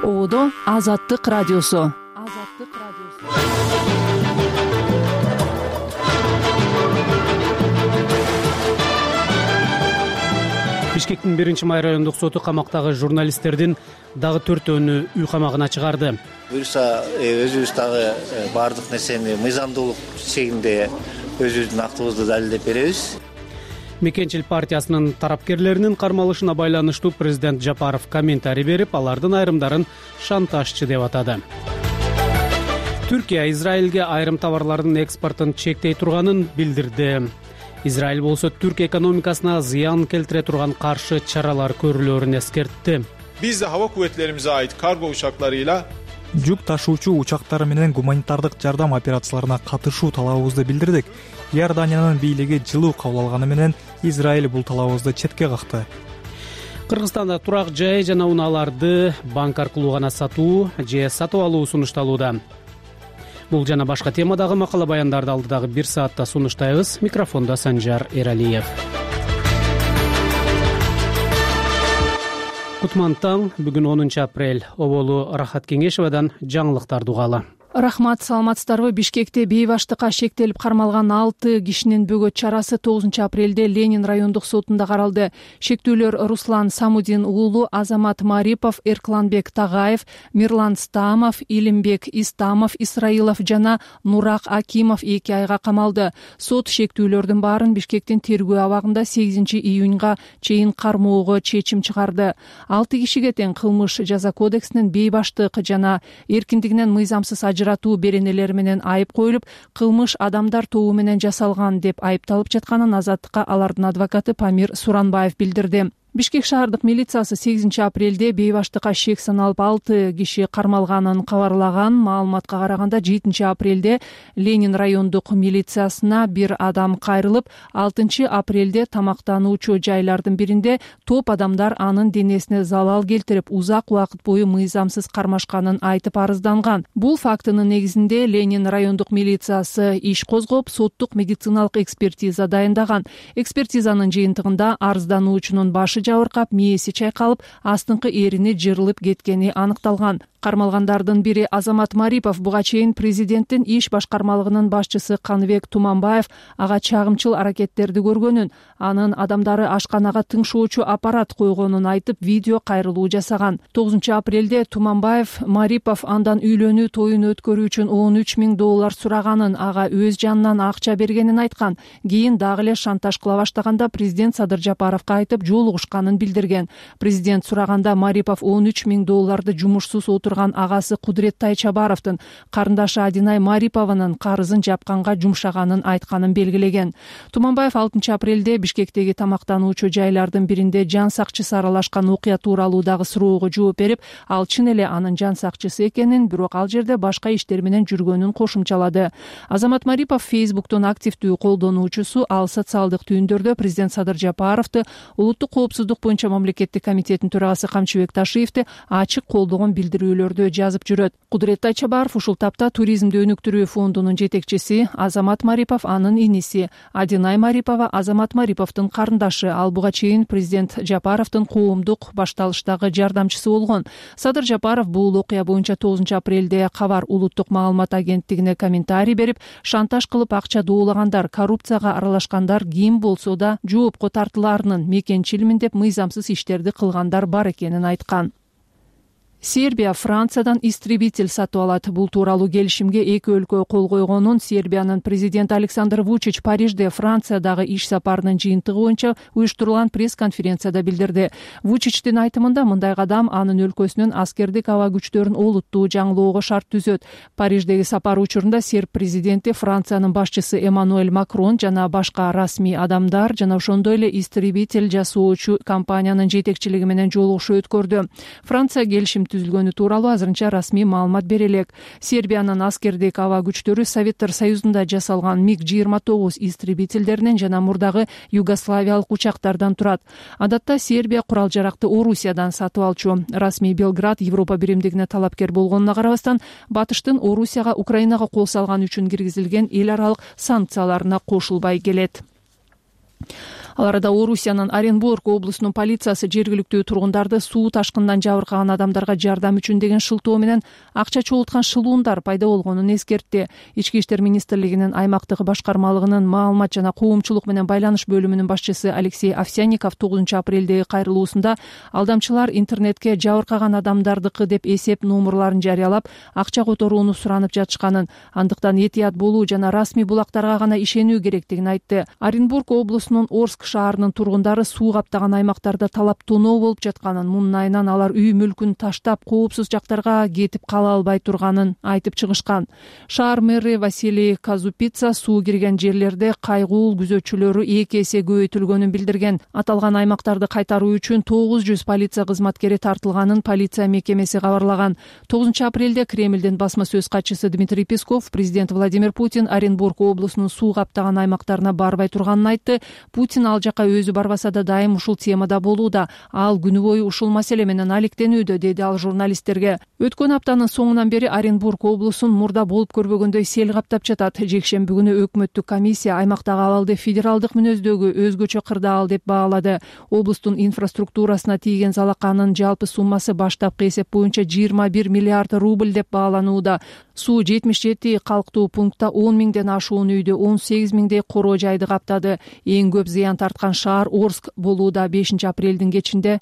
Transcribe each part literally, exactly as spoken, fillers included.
Ободо Азаттык радиосу. Азаттык радиосу. Бишкектин биринчи май райондук соту камактагы журналисттердин дагы төртөөнү үй камагына чыгарды. Буюрса өзүбүз дагы баардык нерсени мыйзамдуулук чегинде өзүбүздүн актыбызды далилдеп беребиз. Мекенчил партиясынын тарапкерлеринин кармалышына байланыштуу президент Жапаров комментарий берип, алардын айрымдарын шантажчы деп атады. Түркия Израилге айрым товарлардын экспортун чектей турганын билдирди. Израиль болсо Түрк экономикасына зыян келтире турган каршы чаралар көрүлөрүн эскертти. Биз de hava kuvvetlerimize ait kargo uçaklarıyla жүк ташуучу учактары менен гуманитардык жардам операцияларына катышуу талабыбызды билдирдик. Иорданиянын бийлиги жылуу кабыл алганы менен Израиль бул талабыбызды четке какты. Кыргызстанда турак жай жана унааларды банк аркылуу гана сатуу же сатып алуу сунушталууда. Бул жана башка темадагы макала баяндарды алдыдагы бир саатта сунуштайбыз. Микрофондо Санжар Эралиев. Кутман таң, бүгүн онунчу апрель. Оболу Рахат Кеңешевадан жаңылыктарды угалы. Рахмат, саламатсыздарбы? Бишкекте бейбаштыкка шектелип кармалган алты кишинин бөгөт чарасы тогузунчу апрелде Ленин райондук сотунда каралды. Шектүүлөр Руслан Самудин уулу, Азамат Марипов, Эркланбек Тагаев, Мирлан Стамов, Илимбек Истамов, Исраилов жана Нурак Акимов эки айга камалды. Сот шектүүлөрдүн баарын Бишкектин тергөө абагында сегизинчи июнга чейин кармоого чечим чыгарды. Алты кишиге тең кылмыш жаза кодексинин бейбаштык жана эркиндигинен мыйзамсыз ажыратуу беренелери менен айып коюлуп, кылмыш адамдар тобу менен жасалган деп айыпталып жатканын Азаттыкка алардын адвокаты Памир Суранбаев билдирди. Бишкек шаардык милициясы сегизинчи апрелде бейбаштыкка шек саналып алты киши кармалганын кабарлаган. Маалыматка караганда жетинчи апрелде Ленин райондук милициясына бир адам кайрылып, алтынчы апрелде тамактануучу жайлардын биринде топ адамдар анын денесине залал келтирип, узак убакыт бою мыйзамсыз кармашканын айтып арызданган. Бул фактынын негизинде Ленин райондук милициясы иш козгоп, соттук медициналык экспертиза дайындаган. Экспертизанын жыйынтыгында арыздануучунун башы жабыркап, мээси чайкалып, астыңкы эрини жырылып кеткени аныкталган. Кармалгандардын бири Азамат Марипов буга чейин президенттин иш башкармалыгынын башчысы Каныбек Туманбаев ага чагымчыл аракеттерди көргөнүн, анын адамдары ашканага тыңшоочу аппарат койгонун айтып, видео кайрылуу жасаган. тогузунчу апрелде Туманбаев Марипов андан үйлөнүү тоюн өткөрүү үчүн он үч миң доллар сураганын, ага өз жанынан акча бергенин айткан. Кийин дагы эле шантаж кыла баштаганда президент Садыр Жапаровго айтып, жолугушканын билдирген. Президент сураганда Марипов он үч миң долларды жумушсуз отурган агасы Кудурет Тайчабаровдун карындашы Адинай Марипованын карызын жапканга жумшаганын айтканын белгилеген. Туманбаев алтынчы апрелде Бишкектеги тамактануучу жайлардын биринде жан сакчысы аралашкан окуя тууралуу дагы суроого жооп берип, ал чын эле анын жан сакчысы экенин, бирок ал жерде башка иштер менен жүргөнүн кошумчалады. Азамат Марипов Фейсбуктун активдүү колдонуучусу, ал социалдык түйүндөрдө президент Садыр Жапаровду, улуттук коопсуздук боюнча мамлекеттик комитеттин төрагасы Камчыбек Ташиевди ачык колдогон билдирүүлөр жазып жүрөт. Кудурет Тайчабаров ушул тапта туризмди өнүктүрүү фондунун жетекчиси, Азамат Марипов анын иниси, Адинай Марипова Азамат Мариповдун карындашы. Ал буга чейин президент Жапаровдун коомдук башталыштагы жардамчысы болгон. Садыр Жапаров бул окуя боюнча тогузунчу апрелде Кабар улуттук маалымат агенттигине комментарий берип, шантаж кылып акча доолагандар, коррупцияга аралашкандар ким болсо да жоопко тартылаарынын, мекенчилмин деп мыйзамсыз иштерди кылгандар бар экенин айткан. Сербия Франциядан истребитель сатып алат. Бул тууралуу келишимге эки өлкө кол койгонун Сербиянын президенти Александр Вучич Парижде Франциядагы иш сапарынын жыйынтыгы боюнча уюштурулган пресс-конференцияда билдирди. Вучичтин айтымында, мындай кадам анын өлкөсүнүн аскердик аба күчтөрүн олуттуу жаңылоого шарт түзөт. Париждеги сапар учурунда серб президенти Франциянын башчысы Эммануэль Макрон жана башка расмий адамдар жана ошондой эле истребитель жасоочу компаниянын жетекчилиги менен жолугушуу өткөрдү. Франция келишим түзүлгөнү тууралуу азырынча расмий маалымат бере элек. Сербиянын аскердик аба күчтөрү Советтер Союзунда жасалган миг жыйырма тогуз истребительдеринен жана мурдагы югославиялык учактардан турат. Адатта Сербия курал-жаракты Орусиядан сатып алчу. Расмий Белград Европа биримдигине талапкер болгонуна карабастан, Батыштын Орусияга, Украинага кол салган үчүн киргизилген эл аралык санкцияларына кошулбай келет. Ал арада Орусиянын Оренбург облусунун полициясы жергиликтүү тургундарды суу ташкынынан жабыркаган адамдарга жардам үчүн деген шылтоо менен акча чогулткан шылуундар пайда болгонун эскертти. Ички иштер министрлигинин аймактык башкармалыгынын маалымат жана коомчулук менен байланыш бөлүмүнүн башчысы Алексей Овсянников тогузунчу апрелдеги кайрылуусунда алдамчылар интернетке жабыркаган адамдардыкы деп эсеп номерларын жарыялап, акча которууну суранып жатышканын, андыктан этият болуу жана расмий булактарга гана ишенүү керектигин айтты. Оренбург облусунун Орск шаарынын тургундары суу каптаган аймактарда талап тоноо болуп жатканын, мунун айынан алар үй мүлкүн таштап, коопсуз жактарга кетип кала албай турганын айтып чыгышкан. Шаар мэри Василий Казупица суу кирген жерлерде кайгуул күзөтчүлөрү эки эсе көбөйтүлгөнүн билдирген. Аталган аймактарды кайтаруу үчүн тогуз жүз полиция кызматкери тартылганын полиция мекемеси кабарлаган. тогузунчу апрелде Кремлдин басма сөз катчысы Дмитрий Песков президент Владимир Путин Оренбург облусунун суу каптаган аймактарына барбай турганын айтты. Путин ал жака өзү барбаса да дайым ушул темада болууда. Ал күнү бою ушул маселе менен алектенүүдө, деди ал журналисттерге. Өткөн аптанын соңунан бери Оренбург облусун мурда болуп көрбөгөндөй сел каптап жатат. Жекшемби күнү өкмөттүк комиссия аймактагы абалды федералдык мүнөздөгү өзгөчө кырдаал деп баалады. Облустун инфраструктурасына тийген залаканын жалпы суммасы баштапкы эсеп боюнча жыйырма бир миллиард рубль деп бааланууда. Суу жетимиш жети калктуу пунктта он миңден ашуун үйдү, он сегиз миңдей короо жайды каптады. Эң көп зыян тарткан шаар Орск болууда. бешинчи апрелдин кечинде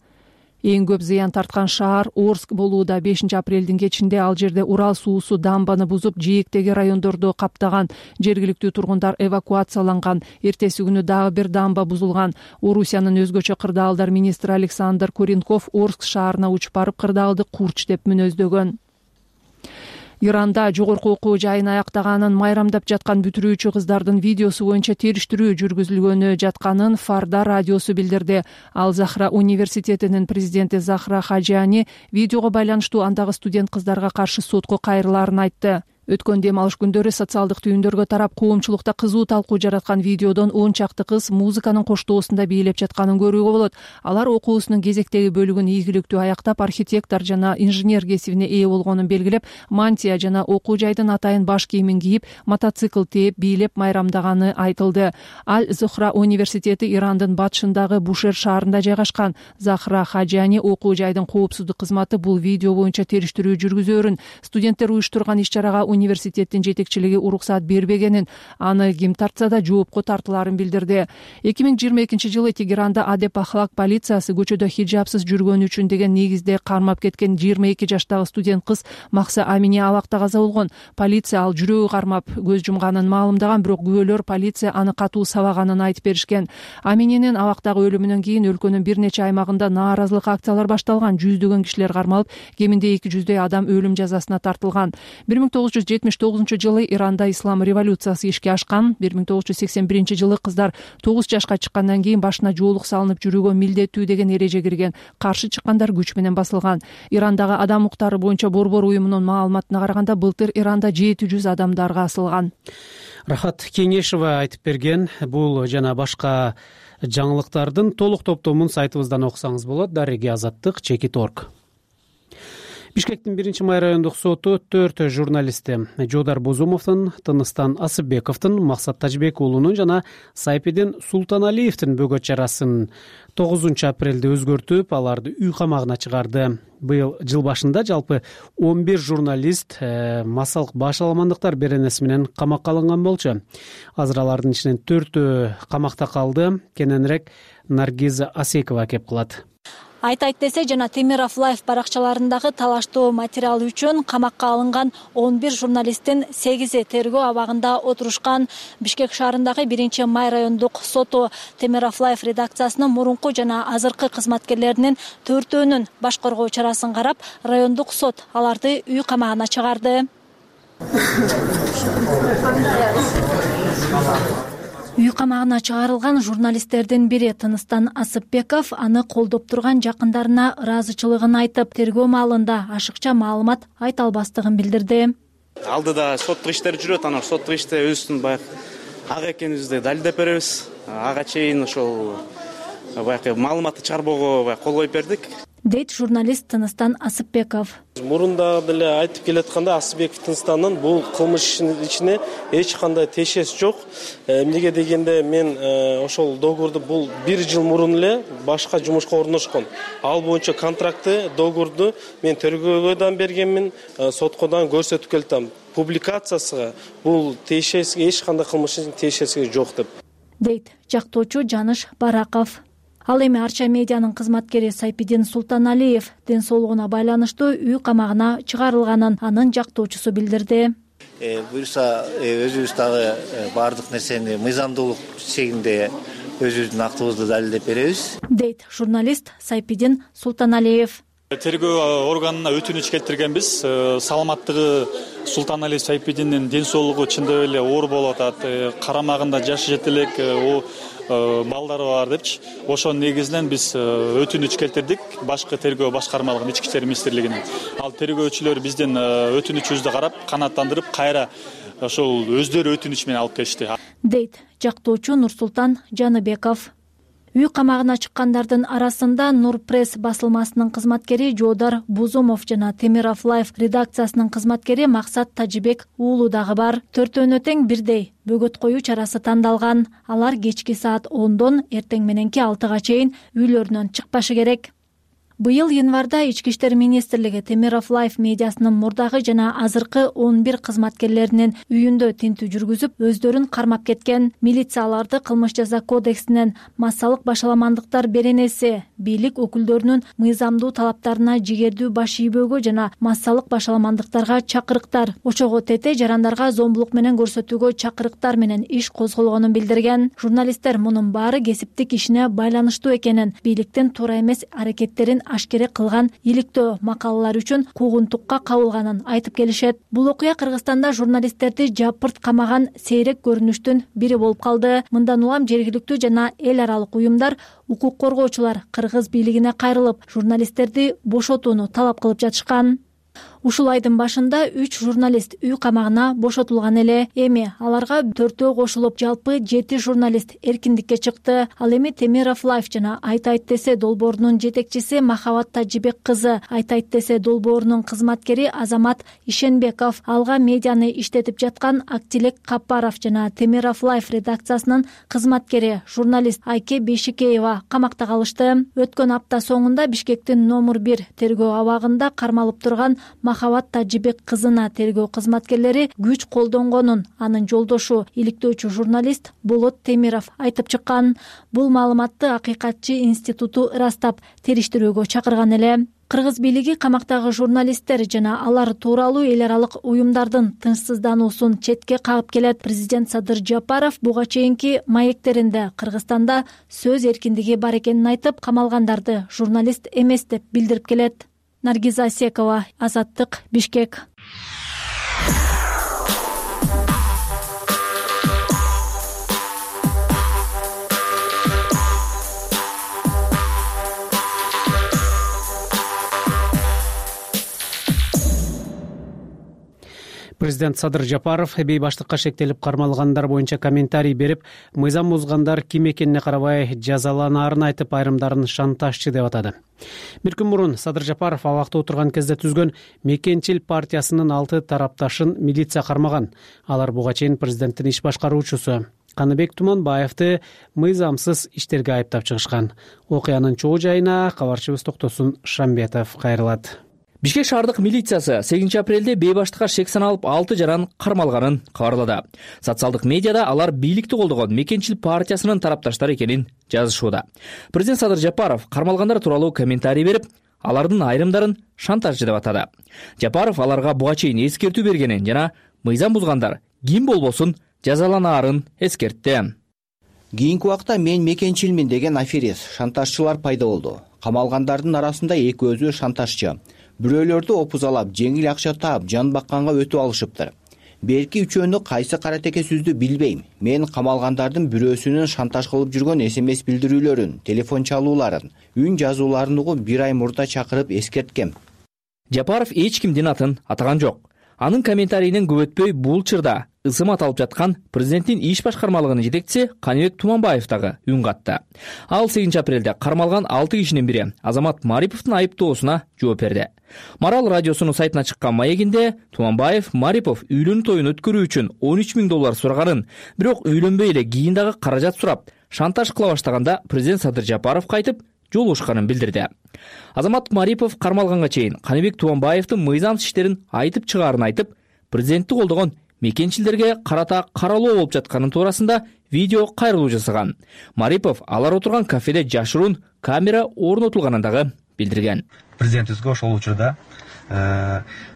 Эң көп зыян тарткан шаар Орск болууда. бешинчи апрелдин кечинде ал жерде Урал суусу дамбаны бузуп, жээктеги райондорду каптаган. Жергиликтүү тургундар эвакуацияланган. Эртеси күнү дагы бир дамба бузулган. Орусиянын өзгөчө кырдаалдар министри Александр Куренков Орск шаарына учуп барып кырдаалды курч деп мүнөздөгөн. Иранда жогорку окуу жайын аяктаганын майрамдап жаткан бүтүрүүчү кыздардын видеосу боюнча териштирүү жүргүзүлгөнү жатканын Фарда радиосу билдирди. Ал Захра университетинин президенти Захра Хаджани видеого байланыштуу андагы студент кыздарга каршы сотко кайрылаарын айтты. Өткөн дем алыш күндөрү социалдык түйүндөргө тарап коомчулукта кызуу талкуу жараткан видеодон он чакты кыз музыканын коштоосунда бийлеп жатканын көрүүгө болот. Алар окуусунун кезектеги бөлүгүн ийгиликтүү аяктап, архитектор жана инженер кесибине ээ болгонун белгилеп, мантия жана окуу жайдын атайын баш кийимин кийип, мотоцикл тээп бийлеп майрамдаганы айтылды. Аль-Зухра университети Ирандын батышындагы Бушер шаарында жайгашкан. Захра Хаджани окуу жайдын коопсуздук кызматы бул видео боюнча териштирүү жүргүзөөрүн, студенттер уюштурган иш-чарага университеттин жетекчилиги уруксаат бербегенин, аны ким тартса да жоопко тартылаарын билдирди. эки миң жыйырма экинчи жылы Тегеранда Адеп Ахлак полициясы көчөдө хиджабсыз жүргөнү үчүн деген негизде кармап кеткен жыйырма эки жаштагы студент кыз Макса Амини абакта каза болгон. Полиция ал жүрөгү кармап көз жумганын маалымдаган, бирок күбөлөр полиция аны катуу сабаганын айтып беришкен. Амининин абактагы өлүмүнөн кийин өлкөнүн бир нече аймагында нааразылык акциялар башталган. Жүздөгөн кишилер кармалып, кеминде эки жүздөй адам өлүм жазасына тартылган. бир миң тогуз жүз жетимиш тогузунчу жылы Иранда ислам революциясы ишке ашкан. бир миң тогуз жүз сексен биринчи жылы кыздар тогуз жашка чыккандан кийин башына жоолук салынып жүрүүгө милдеттүү деген эреже кирген. Каршы чыккандар күч менен басылган. Ирандагы адам укуктары боюнча борбор уюмунун маалыматына караганда былтыр Иранда жети жүз адам дарга асылган. Рахат Кеңешева айтып берген. Бул жана башка жаңылыктардын толук топтомун сайтыбыздан окусаңыз болот. Дареги азаттык чекит орг. Бишкектин биринчи май райондук соту төрт журналисти Жодар Бозумовдун, Тыныстан Асыпбековдун, Максат Тажбек уулунун жана Сайпидин Султаналиевдин бөгөт чарасын тогузунчу апрелде өзгөртүп, аларды үй камагына чыгарды. Быйыл жыл башында жалпы он бир журналист э, массалык баш аламандыктар беренеси менен камакка алынган болчу. Азыр алардын ичинен төртөө камакта калды. Кененирээк Наргиза Асекова кеп кылат. Айтайт десе жана Темиров Лайф баракчаларындагы талаштуу материал үчүн камакка алынган он бир журналисттин сегизи тергөө абагында отурушкан. Бишкек шаарындагы биринчи май райондук соту Темиров Лайф редакциясынын мурунку жана азыркы кызматкерлеринин төртөөнүн баш коргоо чарасын карап, райондук сот аларды үй камагына чыгарды. Үй камагына чыгарылган журналисттердин бири Тыныстан Асыпбеков аны колдоп турган жакындарына ыраазычылыгын айтып, тергөө маалында ашыкча маалымат айта албастыгын билдирди. Алдыда соттук иштер жүрөт, анан соттук иште өзүбүздүн баягы ак экенибизди далилдеп беребиз. Ага чейин ошол баягы маалыматты чыгарбоого кол коюп бердик. Дейт журналист Тыныстан Асыпбеков. мурунда деле айтып келатканда Асылбековдун станынан бул кылмыш ишине эч кандай тиешеси жок. Эмнеге дегенде мен ошол договорду бул бир жыл мурун эле башка жумушка орношкон. Ал боюнча контрактты, договорду мен тергөөгө да бергенмин, сотко да көрсөтүп келдим. Публикациясыга бул тиешеси эч кандай кылмыштын тиешеси жок деп дейт жактоочу Жаныш Бараков. Ал эми Арча медианын кызматкери Сайпидин Султаналиев ден соолугуна байланыштуу үй камагына чыгарылганын анын жактоочусу билдирди. Буюрса өзүбүз дагы баардык нерсени мыйзамдуулук чегинде өзүбүздүн актыбызды далилдеп беребиз, дейт журналист Сайпидин Султаналиев. Тергөө органына өтүнүч келтиргенбиз. Саламаттыгы Султаналиев Сайпидиндин ден соолугу чындап эле оор болуп атат. Карамагында жашы жете элек балдары бар депчи. Ошонун негизинен биз өтүнүч келтирдик башкы тергөө башкармалыгына, ички иштер министрлигине. Ал тергөөчүлөр биздин өтүнүчүбүздү карап, канааттандырып, кайра ошол өздөрү өтүнүч менен алып келишти, дейт жактоочу Нурсултан Жаныбеков. Үй камагына чыккандардын арасында Нур пресс басылмасынын кызматкери Жоодар Бузумов жана Темиров Лайф редакциясынын кызматкери Максат Тажибек уулу дагы бар. Төртөөнө тең бирдей бөгөт коюу чарасы тандалган. Алар кечки саат ондон эртең мененки алтыга чейин үйлөрүнөн чыкпашы керек. Быйыл январда ички иштер министрлиги Темиров Лайф медиасынын мурдагы жана азыркы он бир кызматкерлеринин үйүндө тинтүү жүргүзүп, өздөрүн кармап кеткен. Милиция аларды кылмыш жаза кодексинен массалык башаламандыктар беренеси, бийлик өкүлдөрүнүн мыйзамдуу талаптарына жигердүү баш ийбөөгө жана массалык башаламандыктарга чакырыктар, ошого тете жарандарга зомбулук менен көрсөтүүгө чакырыктар менен иш козголгонун билдирген. Журналисттер мунун баары кесиптик ишине байланыштуу экенин, бийликтин туура эмес аракеттерин ашкере кылган иликтөө макалалар үчүн куугунтукка кабылганын айтып келишет. Бул окуя Кыргызстанда журналисттерди жапырт камаган сейрек көрүнүштүн бири болуп калды. Мындан улам жергиликтүү жана эл аралык уюмдар, укук коргоочулар кыргыз бийлигине кайрылып, журналисттерди бошотууну талап кылып жатышкан. Ушул айдын башында үч журналист үй камагына бошотулган эле. Эми аларга төртөө кошулуп, жалпы жети журналист эркиндикке чыкты. Ал эми Темиров Лайф жана Айт айт десе долбоорунун жетекчиси Махабат Тажибек кызы, Айт айт десе долбоорунун кызматкери Азамат Ишенбеков, Алга медианы иштетип жаткан Актилек Капаров жана Темиров Лайф редакциясынын кызматкери журналист Айке Бейшикеева камакта калышты. Өткөн апта соңунда Бишкектин номер бир тергөө абагында кармалып турган Махабат Тажибек кызына тергөө кызматкерлери күч колдонгонун анын жолдошу, иликтөөчү журналист Болот Темиров айтып чыккан. Бул маалыматты Акыйкатчы институту ырастап, териштирүүгө чакырган эле. Кыргыз бийлиги камактагы журналисттер жана алар тууралуу эл аралык уюмдардын тынчсыздануусун четке кагып келет. Президент Садыр Жапаров буга чейинки маектеринде Кыргызстанда сөз эркиндиги бар экенин айтып, камалгандарды журналист эмес деп билдирип келет. Наргиза Асекова, Азаттык, Бишкек. Президент Садыр Жапаров бейбаштыкка шектелип кармалгандар боюнча комментарий берип, мыйзам бузгандар ким экенине карабай жазаланаарын айтып, айрымдарын шантажчы деп атады. Бир күн мурун Садыр Жапаров абакта отурган кезде түзгөн Мекенчил партиясынын алты тарапташын милиция кармаган. Алар буга чейин президенттин иш башкаруучусу Каныбек Туманбаевди мыйзамсыз иштерге айыптап чыгышкан. Окуянын чоо жайына кабарчыбыз Токтосун Шамбетов кайрылат. Бишкек шаардык милициясы сегизинчи апрелде бейбаштыкка шек саналып алты жаран кармалганын кабарлады. Социалдык медиада алар бийликти колдогон Мекенчил партиясынын тарапташтары экенин жазышууда. Президент Садыр Жапаров кармалгандар тууралуу комментарий берип, алардын айрымдарын шантажчы деп атады. Жапаров аларга буга чейин эскертүү бергенин жана мыйзам бузгандар ким болбосун жазаланаарын эскертти. Кийинки убакта мен Мекенчилмин деген аферист, шантажчылар пайда болду. Камалгандардын арасында экөөзү шантажчы. Бирөөлөрдү опузалап, жеңил акча таап, жан бакканга өтүп алышыптыр. Берки үчөөнү кайсы каратеке сүздү билбейм. Мен камалгандардын бирөөсүнүн шантаж кылып жүргөн эс эм эс билдирүүлөрүн, телефон чалууларын, үн жазууларын угуп бир ай мурда чакырып эскерткем. Жапаров эч кимдин атын атаган жок. Анын комментарийинен көп өтпөй бул чырда ысымат алып жаткан президенттин иш башкармалыгынын жетекчиси Каныбек Туманбаев дагы үн катты. Ал сегизинчи апрелде кармалган алты кишинин бири Азамат Мариповдун айыптоосуна жооп берди. Марал радиосунун сайтына чыккан маегинде Туманбаев Марипов үйлөнүү тоюн өткөрүү үчүн он үч миң доллар сураганын, бирок үйлөнбөй эле кийин дагы каражат сурап, шантаж кыла баштаганда президент Садыр Жапаров кайтып жолугушканын билдирди. Азамат Марипов кармалганга чейин Каныбек Туманбаевдин мыйзамсыз иштерин айтып чыгаарын айтып, президентти колдогон мекенчилерге карата каралоо болуп жатканы туурасында видео кайрылуу жасаган. Марипов алар отурган кафеде жашыруун камера орнотулганын дагы билдирген. Президентибизге ошол учурда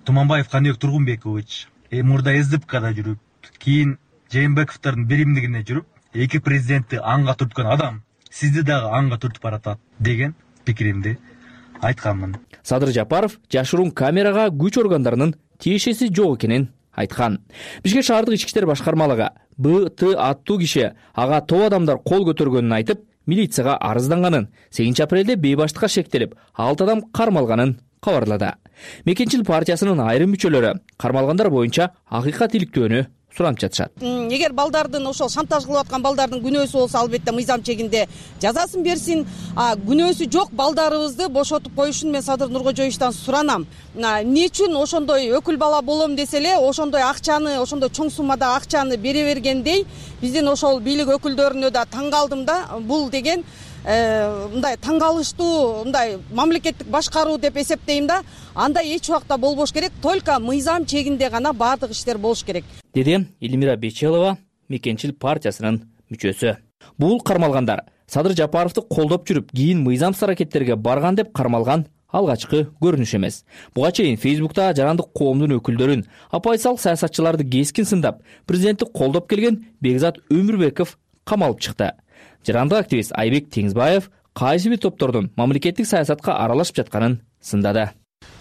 Туманбаев Каныбек Тургунбекович мурда СДПКда жүрүп, кийин Жээнбековдордун биримдигине жүрүп, эки президентти анга түрткөн адам сизди дагы анга түртүп баратат деген пикиримди айтканмын. Садыр Жапаров жашыруун камерага күч органдарынын тиешеси жок экенин айткан. Бишкек шаардык ички иштер башкармалыгы Б Т аттуу киши ага топ адамдар кол көтөргөнүн айтып, милицияга арызданганын, сегизинчи апрелде бейбаштыкка шектелип, алты адам кармалганын кабарлады. Мекенчил партиясынын айрым мүчөлөрү кармалгандар боюнча акыйкат иликтөөнү суранып жатышат. Эгер балдардын ошол шантаж кылып аткан балдардын күнөөсү болсо, албетте мыйзам чегинде жазасын берсин. А күнөөсү жок балдарыбызды бошотуп коюшун мен Садыр Нуркожоевичтан суранам. Эмне үчүн ошондой өкүл бала болом десе эле, ошондой акчаны, ошондой чоң суммада акчаны бере бергендей, биздин ошол бийлик өкүлдөрүнө да таң калдым да. Бул деген мындай таң калыштуу, мындай мамлекеттик башкаруу деп эсептейм да. Андай эч убакта болбош керек, только мыйзам чегинде гана баардык иштер болуш керек, деди Элмира Бечелова, мекенчил партиясынын мүчөсү. Бул кармалгандар Садыр Жапаровду колдоп жүрүп, кийин мыйзамсыз аракеттерге барган деп кармалган алгачкы көрүнүш эмес. Буга чейин Фейсбукта жарандык коомдун өкүлдөрүн, апайсал саясатчыларды кескин сындап, президентти колдоп келген Бекзат Өмүрбеков камалып чыкты. Жарандык активист Айбек Теңизбаев кайсы бир топтордун мамлекеттик саясатка аралашып жатканын сындады.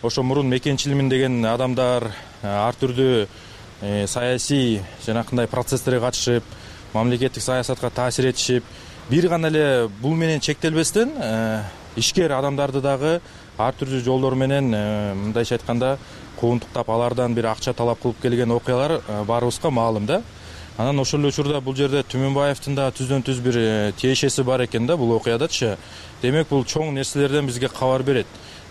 Ошо мурун мекенчилмин деген адамдар ар түрдүү саясий жанакындай процесстерге катышып, мамлекеттик саясатка таасир этишип, бир гана эле бул менен чектелбестен ишкер адамдарды дагы ар түрдүү жолдор менен, мындайча айтканда, куугунтуктап, алардан бир акча талап кылып келген окуялар баарыбызга маалым да. Анан ошол эле учурда бул жерде Түмөнбаевдин да түздөн түз бир тиешеси бар экен да бул окуядачы. Демек бул чоң нерселерден бизге кабар берет.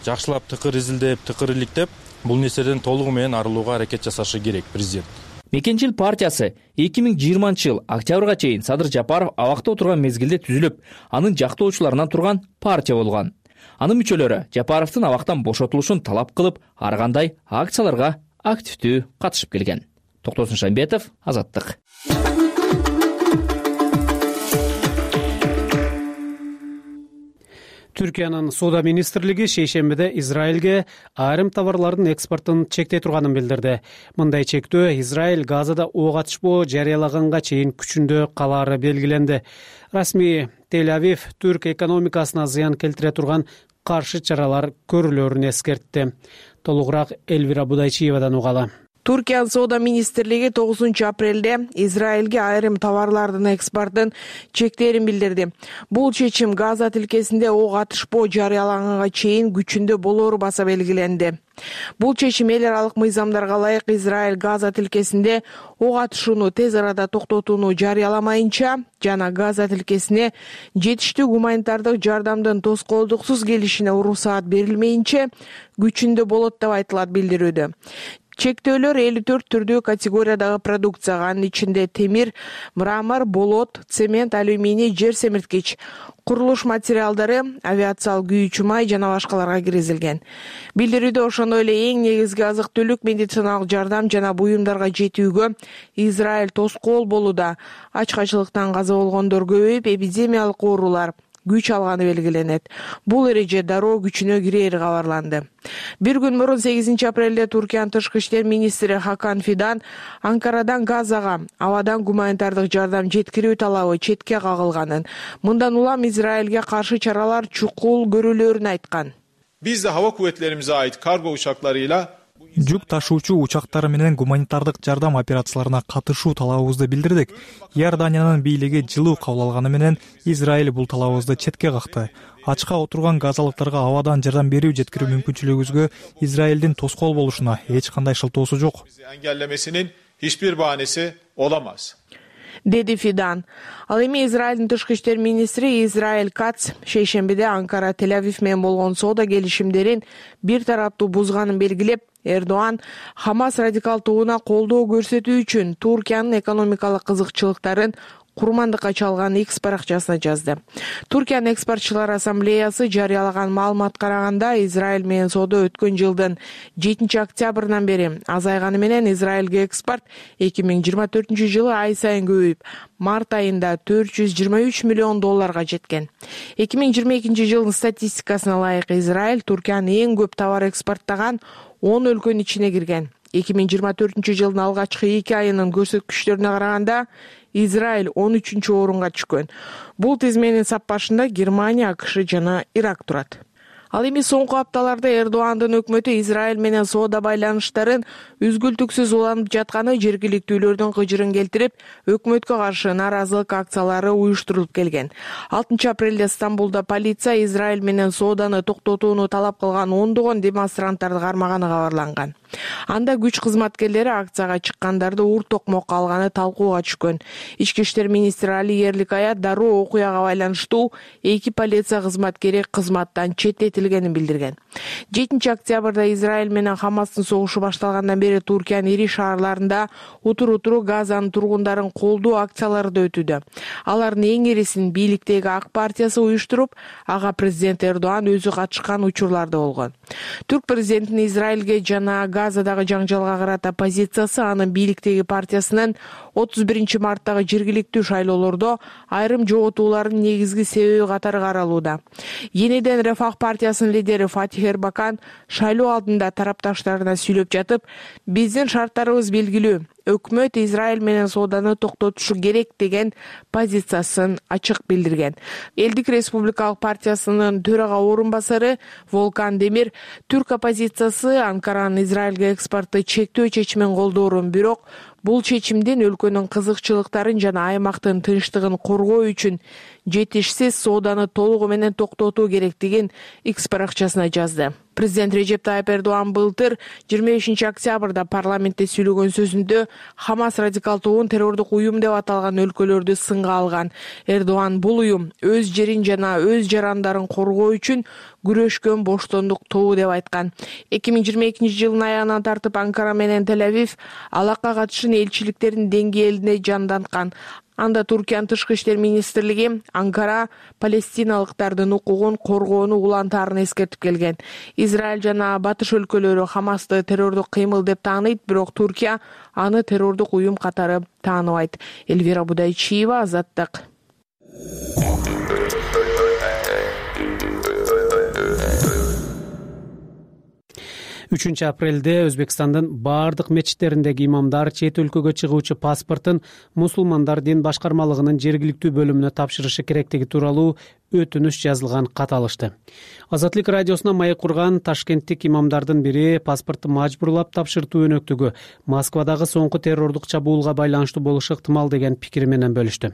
Жакшылап тыкыр изилдеп, тыкыр иликтеп, бул нерседен толугу менен арылууга аракет жасашы керек президент. Мекенчил партиясы эки миң жыйырманчы жыл октябрга чейин Садыр Жапаров абакта отурган мезгилде түзүлүп, анын жактоочуларынан турган партия болгон. Анын мүчөлөрү Жапаровдун абактан бошотулушун талап кылып, ар кандай акцияларга активдүү катышып келген. Токтосун Шамбетов, Азаттык. Түркиянын соода министрлиги шейшембиде Израилге айрым товарлардын экспортун чектей турганын билдирди. Мындай чектөө Израиль Газада ок атышпоо жарыялаганга чейин күчүндө калаары белгиленди. Расмий Тель-Авив түрк экономикасына зыян келтире турган каршы чаралар көрүлөрүн эскертти. Толугураак Элвира Будайчиевадан угалы. Түркиянын соода министрлиги тогузунчу апрелде Израилге айрым товарлардын экспортун чектээрин билдирди. Бул чечим Газа тилкесинде ок атышпоо жарыялаганга чейин күчүндө болоору баса белгиленди. Бул чечим эл аралык мыйзамдарга ылайык Израиль Газа тилкесинде ок атышууну тез арада токтотууну жарыяламайынча жана Газа тилкесине жетиштүү гуманитардык жардамдын тоскоолдуксуз келишине уруксаат берилмейинче күчүндө болот деп айтылат билдирүүдө. Чектөөлөр элүү төрт түрдүү категориядагы продукцияга, анын ичинде темир, мрамор, болот, цемент, алюминий, жер семирткич, курулуш материалдары, авиациялык күйүүчү май жана башкаларга киргизилген. Билдирүүдө ошондой эле эң негизги азык-түлүк, медициналык жардам жана буюмдарга жетүүгө Израиль тоскоол болууда. Ачкачылыктан каза болгондор көбөйүп, эпидемиялык оорулар күч алганы белгиленет. Бул эреже дароо күчүнө кирери кабарланды. Бир күн мурун сегизинчи апрелде Түркиянын тышкы иштер министри Хакан Фидан Анкарадан Газага абадан гуманитардык жардам жеткирүү талабы четке кагылганын, мындан улам Израилге каршы чаралар чукул көрүлөрүн айткан. Биз да hava kuvvetlerimize ait kargo uçaklarıyla жүк ташуучу учактары менен гуманитардык жардам операцияларына катышуу талабыбызды билдирдик. Иорданиянын бийлиги жылуу кабыл алганы менен Израиль бул талабыбызды четке какты. Ачка отурган газалыктарга абадан жардам берүү жеткирүү мүмкүнчүлүгүбүзгө Израилдин тоскоол болушуна эч кандай шылтоосу жок. engellemesinin hiçbir bahanesi olamaz. Деди Фидан. Ал эми Израилдин тышкы иштер министри Израиль Кац шейшембиде Анкара Тель-Авив менен болгон соода келишимдерин бир тараптуу бузганын белгилеп, Эрдоан Хамас радикал тобуна колдоо көрсөтүү үчүн Туркиянын экономикалык кызыкчылыктарын курмандыкка чалган X баракчасына жазды. Туркиянын экспортчулар ассамблеясы жарыялаган маалыматка караганда, Израиль менен соода өткөн жылдын жетинчи октябрынан бери азайганы менен Израилге экспорт эки миң жыйырма төртүнчү жылы ай сайын көбөйүп, март айында төрт жүз жыйырма үч миллион долларга жеткен. эки миң жыйырма экинчи жылдын статистикасына ылайык Израиль Туркиянын эң көп товар экспорттогон он өлкөнүн ичине кирген. эки миң жыйырма төртүнчү жылдын алгачкы эки айынын көрсөткүчтөрүнө караганда Израиль он үчүнчү орунга түшкөн. Бул тизменин сап башында Германия, АКШ жана Ирак турат. Ал эми соңку апталарда Эрдоандын өкмөтү Израиль менен соода байланыштарын үзгүлтүксүз уланып жатканы жергиликтүүлөрдүн кыжырын келтирип, өкмөткө каршы нааразылык акциялары уюштурулуп келген. алтынчы апрелде Стамбулда полиция Израиль менен сооданы токтотууну талап кылган ондогон демонстранттарды кармаганы кабарланган. Анда күч кызматкерлери акцияга чыккандарды ур токмокко алганы талкууга түшкөн. Ички иштер министри Али Ерликая дароо окуяга байланыштуу эки полиция кызматкери кызматтан четтетилгенин билдирген. жетинчи октябрда Израиль менен Хамастын согушу башталгандан бери Туркиянын ири шаарларында утур-утуру Газанын тургундарын колдоо акциялары да өтүүдө. Алардын эң ирисин бийликтеги Ак партиясы уюштуруп, ага президент Эрдоан өзү катышкан учурлар да болгон. Түрк президентинин Израилге жана Газадагы жаңжалга карата позициясы анын бийликтеги партиясынын отуз биринчи марттагы жергиликтүү шайлоолордо айрым жоготуулардын негизги себеби катары каралууда. Ениден Рефах партиясынын лидери Фатих Эрбакан шайлоо алдында тарапташтарына сүйлөп жатып, биздин шарттарыбыз белгилүү. Өкмөт Израиль менен сооданы токтотушу керек деген позициясын ачык билдирген. Элдик республикалык партиясынын төрага орун басары Волкан Демир түрк оппозициясы Анкаранын Израилге экспортту чектөө чечимин колдоорун, бирок бул чечимдин өлкөнүн кызыкчылыктарын жана аймактын тынчтыгын коргоо үчүн жетишсиз сооданы толугу менен токтотуу керектигин X баракчасына жазды. Президент Режеп Тайып Эрдоан былтыр жыйырма бешинчи октябрда парламентте сүйлөгөн сөзүндө Хамас радикал тобун террордук уюм деп аталган өлкөлөрдү сынга алган. Эрдоан бул уюм өз жерин жана өз жарандарын коргоо үчүн күрөшкөн боштондук тобу деп айткан. эки миң жыйырма экинчи жылдын аягынан тартып Анкара менен Тель-Авив алакка катышын элчиликтердин деңгээлине жанданткан. Анда Туркиянын тышкы иштер министрлиги Анкара палестиналыктардын укугун коргоону улантаарын эскертип келген. Израиль жана батыш өлкөлөрү Хамасты террордук кыймыл деп тааныйт, бирок Туркия аны террордук уюм катары тааныбайт. Эльвира Будайчиева, Азаттык. үчүнчү апрелде Өзбекстандын бардык мечиттериндеги имамдар чет өлкөгө чыгуучу паспортун мусулмандар дин башкармалыгынын жергиликтүү бөлүмүнө тапшырышы керектиги тууралуу өтүнүш жазылган кат алышты. Азаттык радиосуна маек курган ташкенттик имамдардын бири паспортту мажбурлап тапшыртуу өнөктүгү Москвадагы соңку террордук чабуулга байланыштуу болушу ыктымал деген пикири менен бөлүштү.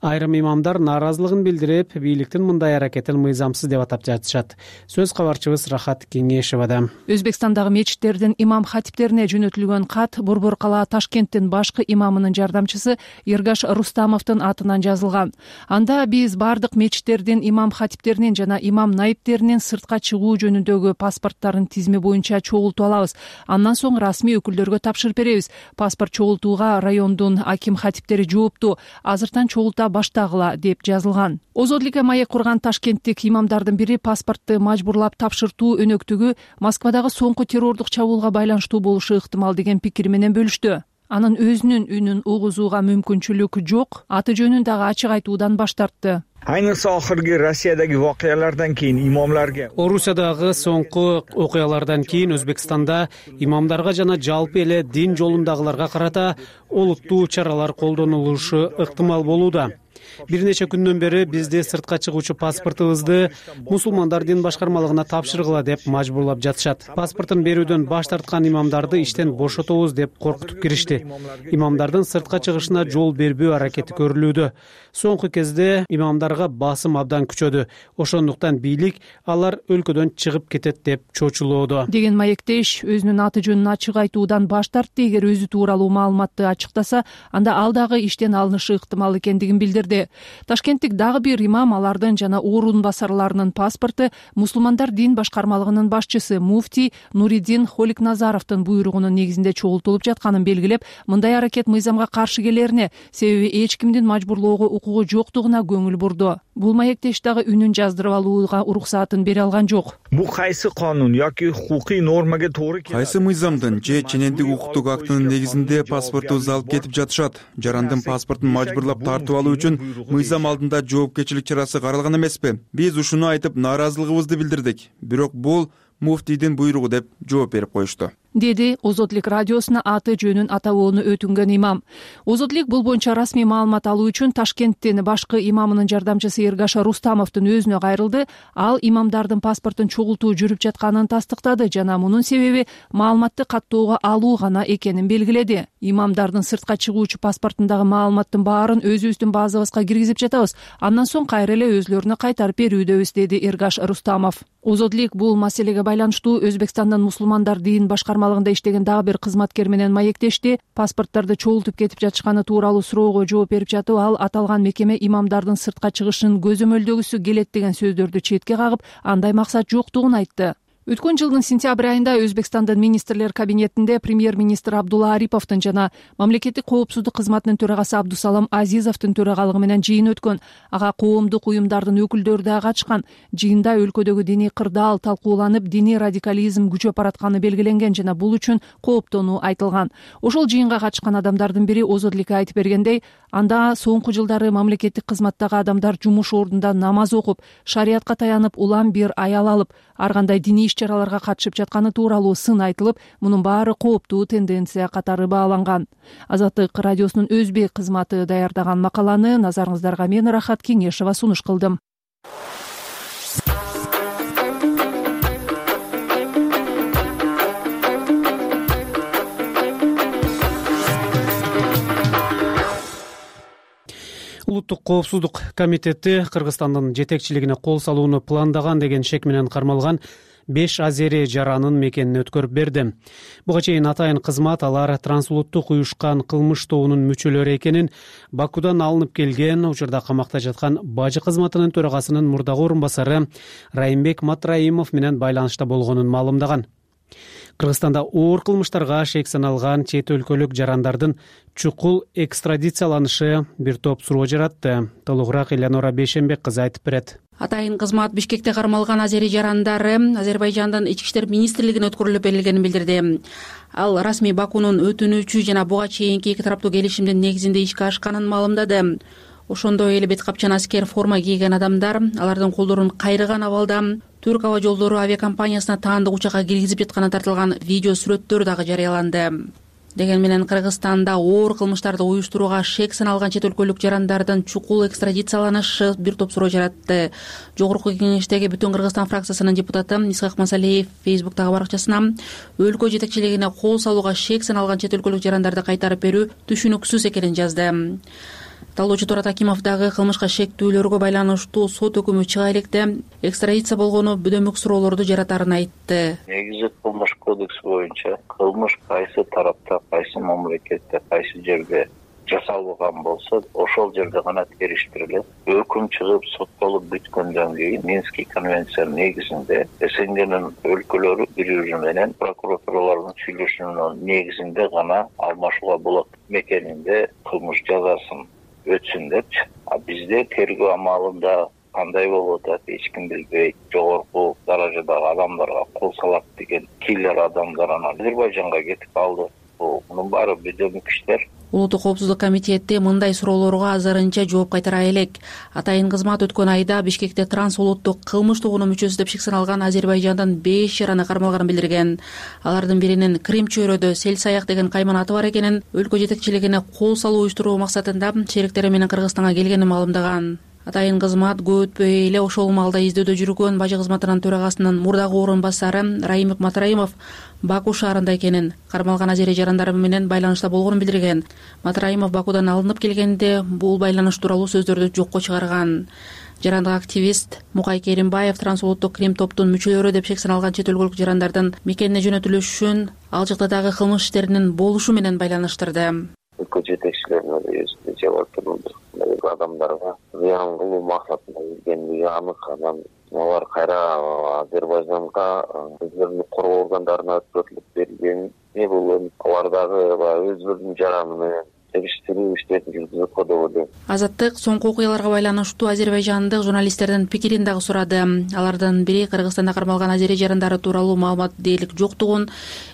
Айрым имамдар нааразылыгын билдирип, бийликтин мындай аракетин мыйзамсыз деп атап жатышат. Сөз кабарчыбыз Рахат Кеңешевада. Өзбекстандагы мечиттердин имам хатиптерине жөнөтүлгөн кат Борбор калаа Ташкенттин башкы имамынын жардамчысы Эргаш Рустамовдун атынан жазылган. Анда биз бардык мечиттердин имам хатиптеринин жана имам найиптеринин сыртка чыгуу жөнүндөгү паспорттарын тизме боюнча чогултуп алабыз. Андан соң расмий өкүлдөргө тапшырып беребиз. Паспорт чогултууга райондун аким хатиптери жоопту. Азыртан чогулта баштагыла деп жазылган. Озодликке маек курган ташкенттик имамдардын бири паспортту мажбурлап тапшыртуу өнөктүгү Москвадагы соңку террордук чабуулга байланыштуу болушу ыктымал деген пикири менен бөлүштү. Анын өзүнүн үнүн угузууга мүмкүнчүлүк жок, аты жөнүн дагы ачык айтуудан баш тартты. Ayniqsa oxirgi Rossiyadagi voqealardan keyin imomlarga Орусиядагы соңку окуялардан кийин Өзбекстанда имамдарга жана жалпы эле дин жолундагыларга карата олуттуу чаралар колдонулушу ыктымал болууда. Бир нече күндөн бери бизди сыртка чыгуучу паспортубузду мусулмандар дин башкармалыгына тапшыргыла деп мажбурлап жатышат. Паспортун берүүдөн баш тарткан имамдарды иштен бошотобуз деп коркутуп киришти. Имамдардын сыртка чыгышына жол бербөө аракети көрүлүүдө. Соңку кезде имамдарга басым абдан күчөдү. Ошондуктан бийлик алар өлкөдөн чыгып кетет деп чочулоодо деген маектеш өзүнүн аты жөнүн ачык айтуудан баш тартты. Эгер өзү тууралуу маалыматты ачыктаса, анда ал дагы иштен алынышы ыктымал экендигин билдирди. Ташкенттик дагы бир имам алардын жана орун басарларынын паспорту мусулмандар дин башкармалыгынын башчысы муфтий Нуриддин Холикназаровдун буйругунун негизинде чогултулуп жатканын белгилеп, мындай аракет мыйзамга каршы келерине, себеби эч кимдин мажбурлоого укугу жоктугуна көңүл бурду. Бул маектеш дагы үнүн жаздырып алууга уруксаатын бере алган жок. Бул кайсы канун yoki huquqiy нормага туура келет? Кайсы мыйзамдын же ченемдик укуктук актынын негизинде паспортубузду алып кетип жатышат? Жарандын паспортун мажбурлап тартып алуу үчүн мыйзам алдында жоопкерчилик чарасы каралган эмеспи? Биз ушуну айтып нааразылыгыбызды билдирдик. Бирок бул муфтийдин буйругу деп жооп берип коюшту, деди Озодлик радиосуна аты жөнүн атабоону өтүнгөн имам. Озодлик бул боюнча расмий маалымат алуу үчүн Ташкенттин башкы имамынын жардамчысы Эргаш Рустамовдун өзүнө кайрылды. Ал имамдардын паспортун чогултуу жүрүп жатканын тастыктады жана мунун себеби маалыматты каттоого алуу гана экенин белгиледи. Имамдардын сыртка чыгуучу паспортундагы маалыматтын баарын өзүбүздүн базабызга киргизип жатабыз. Андан соң кайра эле өзүлөрүнө кайтарып берүүдөбүз, деди Эргаш Рустамов. Озодлик бул маселеге байланыштуу Өзбекстандын мусулмандар дин башкармалыгында иштеген дагы бир кызматкер менен маектешти. Паспорттарды чогултуп кетип жатышканы тууралуу суроого жооп берип жатып, ал аталган мекеме имамдардын сыртка чыгышын көзөмөлдөгүсү келет деген сөздөрдү четке кагып, андай максат жоктугун айтты. Өткөн жылдын сентябрь айында Өзбекстандын министрлер кабинетинде премьер-министр Абдулла Ариповдун жана мамлекеттик коопсуздук кызматынын төрагасы Абдусалам Азизовдун төрагалыгы менен жыйын өткөн. Ага коомдук уюмдардын өкүлдөрү да катышкан. Жыйында өлкөдөгү диний кырдаал талкууланып, диний радикализм күчөп баратканы белгиленген жана бул үчүн кооптонуу айтылган. Ошол жыйынга катышкан адамдардын бири Озодликке айтып бергендей, анда соңку жылдары мамлекеттик кызматтагы адамдар жумуш ордунда намаз окуп, шариятка таянып, улам бир аял алып, ар кандай диний чараларга катышып жатканы тууралуу сын айтылып, мунун баары кооптуу тенденция катары бааланган. Азаттык радиосунун өзбек кызматы даярдаган макаланы назарыңыздарга мен Рахат Кеңешова сунуш кылдым. Улуттук коопсуздук комитети Кыргызстандын жетекчилигине кол салууну пландаган деген шек менен кармалган беш азери жаранын мекенин өткөрүп берди. Буга чейин атайын кызмат алар трансулуттук уюшкан кылмыш тобунун мүчөлөрү экенин, Бакудан алынып келген учурда камакта жаткан бажы кызматынын төрагасынын мурдагы орун басары Райымбек Матраимов менен байланышта болгонун маалымдаган. Кыргызстанда оор кылмыштарга шек саналган чет өлкөлүк жарандардын чукул экстрадицияланышы бир топ суроо жаратты. Толугураак Элеонора Бейшенбек кызы айтып берет. Атайын кызмат Бишкекте кармалган азери жарандары Азербайжандын ички иштер министрлигине өткөрүлүп берилгенин билдирди. Ал расмий Бакунун өтүнүүчү жана буга чейинки эки тараптуу келишимдин негизинде ишке ашканын маалымдады. Ошондой эле бет капчан аскер форма кийген адамдар алардын колдорун кайрыган абалда Түрк аба жолдору авиакомпаниясына таандык учакка киргизип жатканы тартылган видео сүрөттөр дагы жарыяланды. Деген менен Кыргызстанда оор кылмыштарды уюштурууга шек саналган чет өлкөлүк жарандардын чукул экстрадицияланышы бир топ суроо жаратты. Жогорку кеңештеги Бүтүн Кыргызстан фракциясынын депутаты Исхак Масалиев Фейсбуктагы баракчасына өлкө жетекчилигине кол салууга шек саналган чет өлкөлүк жарандарды кайтарып берүү түшүнүксүз экенин жазды. Талоочу Турат Акимов дагы кылмышка шектүүлөргө байланыштуу сот өкүмү чыга электе экстрадиция болгону бөдөмөк суроолорду жаратарын айтты. Негизи кылмыш кодекси боюнча кылмыш кайсы тарапта, кайсы мамлекетте, кайсы жерде жасалган болсо, ошол жерде гана териштирилет. Өкүм чыгып соттолуп бүткөндөн кийин Минский конвенциянын негизинде СНГнын өлкөлөрү бири-бири менен прокуратуралардын сүйлөшүүнүн негизинде гана алмашууга болот. Мекенинде кылмыш жазасын өтсүн депчи. А бизде тергөө амалында кандай болуп атат, эч ким билбейт. Жогорку даражадагы адамдарга кол салат деген киллер адамдар анан Азербайжанга кетип калды. Мунун баары бөдөмөк иштер. Улуттук коопсуздук комитети мындай суроолорго азырынча жооп кайтара элек. Атайын кызмат өткөн айда Бишкекте транс улуттук кылмыш тобунун мүчөсү деп шек саналган Азербайжандын беш жараны кармалганын билдирген. Алардын биринин Крим чөйрөдө Сел-Саяк деген кайман аты бар экенин, өлкө жетекчилигине кол салуу уюштуруу максатында шериктери менен Кыргызстанга келгенин маалымдаган. Атайын кызмат көп өтпөй эле ошол маалда издөөдө жүргөн бажы кызматынын төрагасынын мурдагы орун басары Раимик Матраимов Баку шаарында экенин, кармалган азери жарандары менен байланышта болгонун билдирген. Матраимов Бакудан алынып келгенде бул байланыш тууралуу сөздөрдү жокко чыгарган. Жарандык активист Мукай Керимбаев транс улуттук Крим топтун мүчөлөрү деп шек саналган чет өлкөлүк жарандардын мекенине жөнөтүлүшүн ал жакта дагы кылмыш иштеринин болушу менен байланыштырды. Өлкө жетекчилерине өзү жабап турду. Адамдарга зыян кылуу максатында келгендиги анык. Анан алар кайра Азербайжанга өздөрүнүн коргоо органдарына өткөрүлүп берилген. Бул алар дагы өздөрүнүн жараны менен териштирүү иштерин жүргүзүп коду деп ойлойм. Азаттык соңку окуяларга байланыштуу азербайжандык журналисттердин пикирин дагы сурады. Алардын бири Кыргызстанда кармалган азери жарандары тууралуу маалымат дээрлик жоктугун,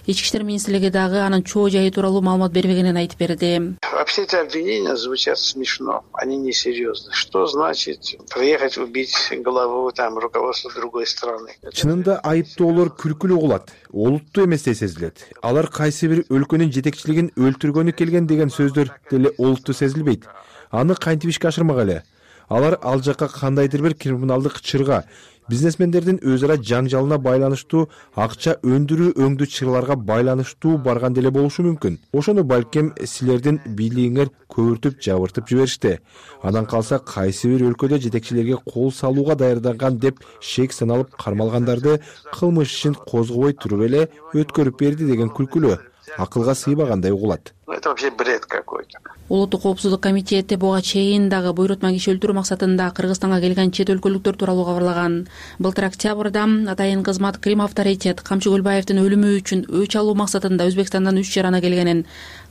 Ички иштер министрлиги дагы анын чоо жайы тууралуу маалымат бербегенин айтып берди. Вообще эти обвинения звучат смешно, они несерьезны. Что значит приехать убить голову там руководства другой страны? Чынында айыптоолор күлкүлүү кылат, олуттуу эместей сезилет. Алар кайсы бир өлкөнүн жетекчилигин өлтүргөнү келген деген сөздөр деле олуттуу сезилбейт. Аны кантип ишке ашырмак эле? Алар ал жакка кандайдыр бир криминалдык чырга, бизнесмендердин өз ара жаңжалына байланыштуу, акча өндүрүү өңдүү чырларга байланыштуу барган деле болушу мүмкүн. Ошону балким силердин бийлигиңер көбүртүп жабыртып жиберишти. Анан калса кайсы бир өлкөдө жетекчилерге кол салууга даярданган деп шек саналып кармалгандарды кылмыш ишин козгобой туруп эле өткөрүп берди деген күлкүлүү. Акылга сыйбагандай угулат. Это вообще бред какой-то. Улуттук коопсуздук комитети буга чейин дагы буйрутма киши өлтүрүү максатында Кыргызстанга келген чет өлкөлүктөр тууралуу кабарлаган. Былтыр октябрда атайын кызмат Крим авторитет Камчы Гүлбаевдин өлүмү үчүн өч алуу максатында Өзбекстандан үч жараны келгенин,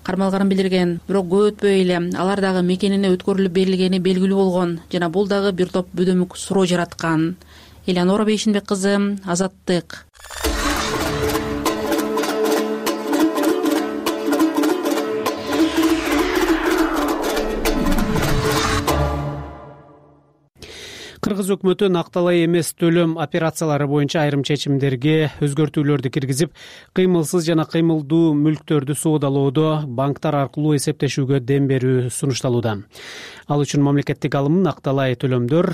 кармалганын билдирген. Бирок көп өтпөй эле алар дагы мекенине өткөрүлүп берилгени белгилүү болгон жана бул дагы бир топ бөдөмүк суроо жараткан. Элеонора Бейшинбек кызы, Азаттык. Кыргыз өкмөтү накталай эмес төлөм операциялары боюнча айрым чечимдерге өзгөртүүлөрдү киргизип, кыймылсыз жана кыймылдуу мүлктөрдү соодалоодо банктар аркылуу эсептешүүгө дем берүү сунушталууда. Ал үчүн мамлекеттик алым накталай төлөмдөр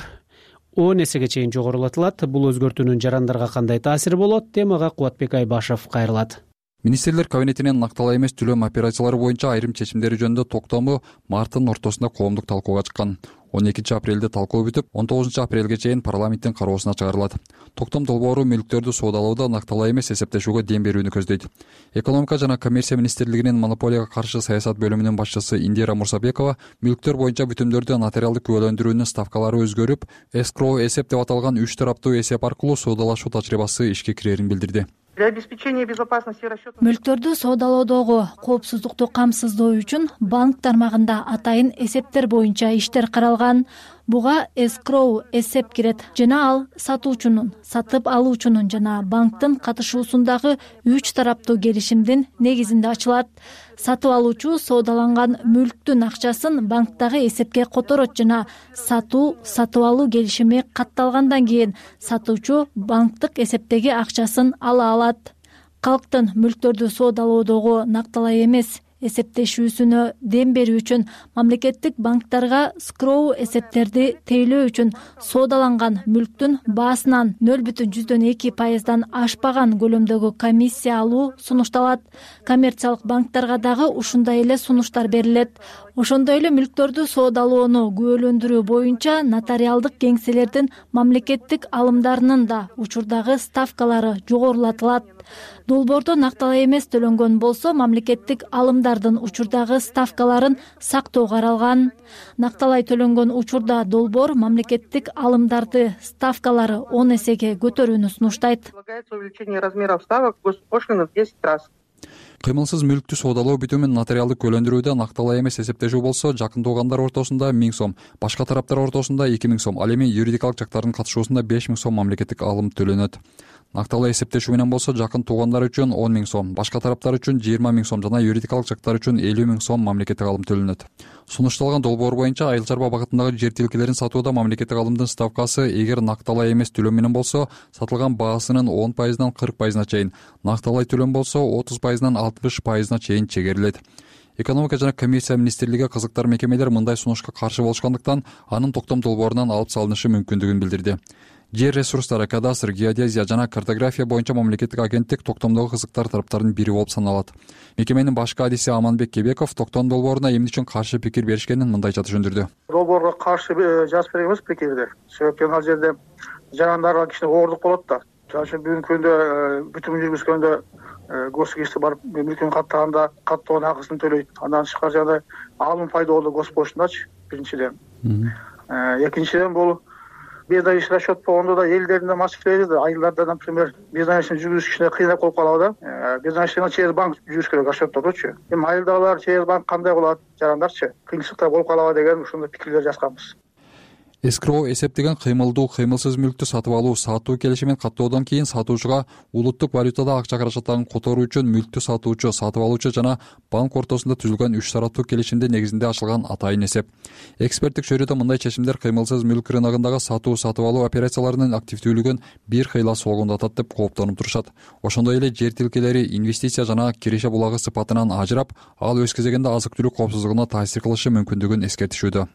он эсеге чейин жогорулатылат. Бул өзгөртүүнүн жарандарга кандай таасири болот? Темага Кубатбек Айбашев кайрылат. Министрлер кабинетинин накталай эмес төлөм операциялары боюнча айрым чечимдери жөнүндө токтому марттын ортосунда коомдук талкууга чыккан. он экинчи апрелде талкуу бүтүп, он тогузунчу апрелге чейин парламенттин кароосуна чыгарылат. Токтом долбоору мүлктөрдү соодалоодо накталай эмес эсептешүүгө дем берүүнү көздөйт. Экономика жана коммерция министрлигинин монополияга каршы саясат бөлүмүнүн башчысы Индира Мурсабекова мүлктөр боюнча бүтүмдөрдү нотариалдык күбөлөндүрүүнүн ставкалары өзгөрүп, эскроу эсеп деп аталган үч тараптуу эсеп аркылуу соодалашуу тажрыйбасы ишке кирерин билдирди. Для обеспечения безопасности расчетов Мүлктөрдү соодалоодогу коопсуздукту камсыздоо үчүн банк тармагында атайын эсептер боюнча иштер каралган. Буга эскроу эсеп кирет жана ал сатуучунун, сатып алуучунун жана банктын катышуусундагы үч тараптуу келишимдин негизинде ачылат. Сатып алуучу соодаланган мүлктүн акчасын банктагы эсепке которот жана сатуу, сатып алуу келишими катталгандан кийин сатуучу банктык эсептеги акчасын ала алат. Калктын мүлктөрдү соодалоодогу накталай эмес эсептешүүсүнө дем берүү үчүн мамлекеттик банктарга скроу эсептерди тейлөө үчүн соодаланган мүлктүн баасынан нөл бүтүн жүздөн эки пайыздан ашпаган көлөмдөгү комиссия алуу сунушталат. Коммерциялык банктарга дагы ушундай эле сунуштар берилет. Ошондой эле мүлктөрдү соодалоону күбөлөндүрүү боюнча нотариалдык кеңселердин мамлекеттик алымдарынын да учурдагы ставкалары жогорулатылат. Долбоордо накталай эмес төлөнгөн болсо мамлекеттик алымдардын учурдагы ставкаларын сактоо каралган. Накталай төлөнгөн учурда долбоор мамлекеттик алымдарды ставкалары он эсеге көтөрүүнү сунуштайт. увеличение размеров ставок госпошлины в десять раз. Кыймылсыз мүлктү соодалоо бүтүмүн нотариалдык күбөлөндүрүүдө накталай эмес эсептешүү болсо жакын туугандар ортосунда миң сом, башка тараптар ортосунда эки миң сом, ал эми юридикалык жактардын катышуусунда беш миң сом мамлекеттик алым төлөнөт. Накталуу эсептешүү менен болсо жакын туугандар үчүн он миң сом, башка тараптар үчүн жыйырма миң сом жана юридикалык жактар үчүн элүү миң сом мамлекеттик алым төлөнөт. Сунушталган долбоор боюнча айыл чарба багытындагы жер тилкелерин сатууда мамлекеттик алымдын ставкасы эгер накталай эмес төлөм менен болсо сатылган баасынын он пайызынан кырк пайызына чейин, накталай төлөм болсо отуз пайызынан алтымыш пайызына чейин чегерилет. Экономика жана комиссия министрлиги кызыктар мекемелер мындай сунушка каршы болушкандыктан анын токтом долбоорунан алып салынышы мүмкүндүгүн билдирди. Жер ресурстары, кадастр, геодезия жана картография боюнча мамлекеттик агенттик токтомдогу кызыктар тараптардын бири болуп саналат. Мекеменин башкы адиси Аманбек Кебеков токтом долбооруна эмне үчүн каршы пикир беришкенин мындайча түшүндүрдү. Долбоорго каршы жазып беребиз пикирди. Себеби ал жерде жарандарга кичине оордук болот да. Жана бүгүнкү күндө бүтүм жүргүзгөндө госугизчи барып мүлкүн каттаганда каттоонун акысын төлөйт. Андан тышкары жана алым пайда болду госпошундачы биринчиден. Экинчиден бул бездайчы расчет болгондо да элдердин маселеси да айылдарда, например, бездайчыны жүргүзүш кичине кыйынап болуп калабы да. Бездайчыны через банк жүргүзүш керек расчеттодучу. Эми айылдагылар через банк кандай болот, жарандарчы кыйынчылыктар болуп калабы деген ушундай пикирлер жазганбыз. Эскроу эсептеген кыймылдуу, кыймылсыз мүлктү сатып алуу сатуу келишимин каттоодон кийин сатуучуга улуттук валютада акча каражаттарын которуу үчүн мүлктү сатуучу, сатып алуучу жана банк ортосунда түзүлгөн үч тараптуу келишимдин негизинде ачылган атайын эсеп. Эксперттик чөйрөдө мындай чечимдер кыймылсыз мүлк рыногундагы сатуу, сатып алуу операцияларынын активдүүлүгүн бир кыйла согундатат деп кооптонуп турушат. Ошондой эле жер тилкелери инвестиция жана киреше булагы сыпатынан ажырап, ал өз кезегинде азык-түлүк коопсуздугуна таасир кылышы мүмкүндүгүн эскертишүүдө.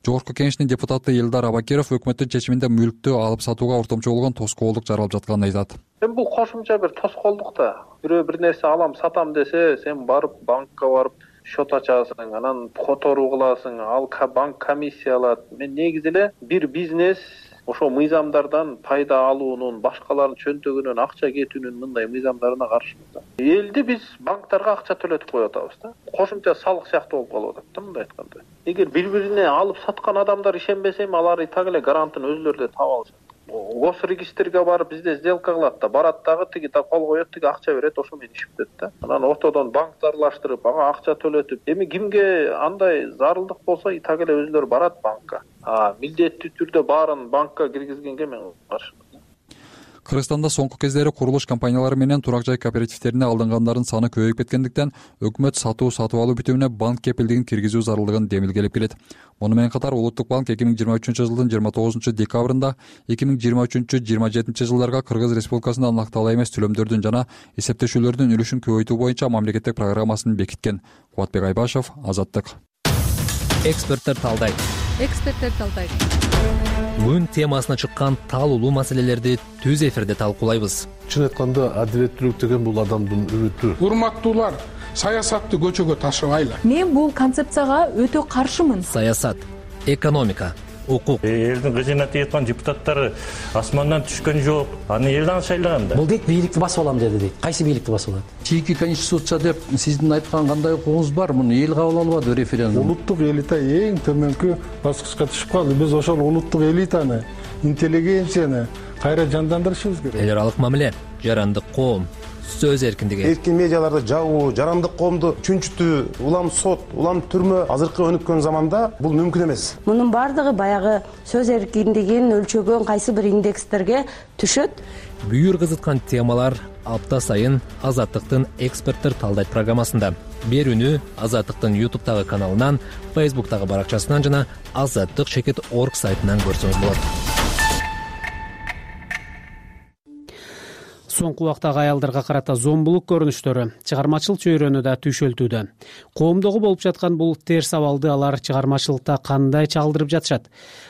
Жогорку Кеңештин депутаты Элдар Абакиров өкмөттүн чечиминде мүлктү алып сатууга ортомчу болгон тоскоолдук жаралып жатканын айтат. Эми бул кошумча бир тоскоолдук да. Бирөө бир нерсе алам, сатам десе, сен барып банкка барып счет ачасың, анан которуу кыласың, ал банк комиссия алат. Мен негизи эле бир бизнес ошо мыйзамдардан пайда алуунун, башкалардын чөнтөгүнөн акча кетүүнүн мындай мыйзамдарына каршымыз. Элди биз банктарга акча төлөтүп коюп атабыз да. Кошумча салык сыяктуу болуп калып атат да мындай айтканда. Эгер бири-бирине алып саткан адамдар ишенбесе, алар так эле гарантын өзүлөрү да таап алышат. Госрегистрге барып бизде сделка кылат да, барат дагы тиги да кол коет, тиги акча берет, ошо менен иш бүтөт да. Анан ортодон банкты аралаштырып, ага акча төлөтүп, эми кимге андай зарылдык болсо, так эле өзүлөрү барат банкка. А милдеттүү түрдө баарын банкка киргизгенге мен каршымын. Кыргызстанда соңку кездери курулуш компаниялары менен турак жай кооперативтерине алынгандардын саны көбөйүп кеткендиктен өкмөт сатуу сатып алуу бүтүмүнө банк кепилдигин киргизүү зарылдыгын демилгелеп келет. Муну менен катар Улуттук банк эки миң жыйырма үчүнчү жылдын жыйырма тогузунчу декабрында эки миң жыйырма үчүнчү жыйырма жетинчи жылдарга Кыргыз Республикасында накталуу эмес төлөмдөрдүн жана эсептешүүлөрдүн үлүшүн көбөйтүү боюнча мамлекеттик программасын бекиткен. Кубатбек Айбашев, Азаттык. Эксперттер талдайт. Эксперттер талдайт. Бүгүн темасына чыккан таалуулуу маселелерди түз эфирде талкуулайбыз. Чын айтканда адилеттүүлүк деген бул адамдын үмүтү. Урматтуулар, саясатты көчөгө ташыбайлы. Мен бул концепцияга өтө каршымын. Саясат, экономика, укук. Элдин кыжына тийаткан депутаттары асмандан түшкөн жок. Аны элден шайлаган да. Бул дейт бийликти басып алам деди дейт. Кайсы бийликти басып алат? Чийки конституция деп сиздин айткан кандай укугуңуз бар? Муну эл кабыл албады референдум. Улуттук элита эң төмөнкү баскычка түшүп калды. Биз ошол улуттук элитаны, интеллигенцияны кайра жандандырышыбыз керек. Эл аралык мамиле, жарандык коом, сөз эркиндиги. Эркин медиаларды жабуу, жарандык коомду чүнчүтүү, улам сот, улам түрмө азыркы өнүккөн заманда бул мүмкүн эмес. Мунун бардыгы баягы сөз эркиндигин өлчөгөн кайсы бир индекстерге түшөт. Бүйүр кызыткан темалар апта сайын Азаттыктын эксперттер талдайт программасында. Берүүнү Азаттыктын ютубтагы каналынан, фейсбуктагы баракчасынан жана азаттык чекит точка орг сайтынан көрсөңүз болот. Соңку убактагы аялдарга карата зомбулук көрүнүштөрү чыгармачыл чөйрөнү да түйшөлтүүдө. Коомдогу болуп жаткан бул терс абалды алар чыгармачылыкта кандай чагылдырып жатышат?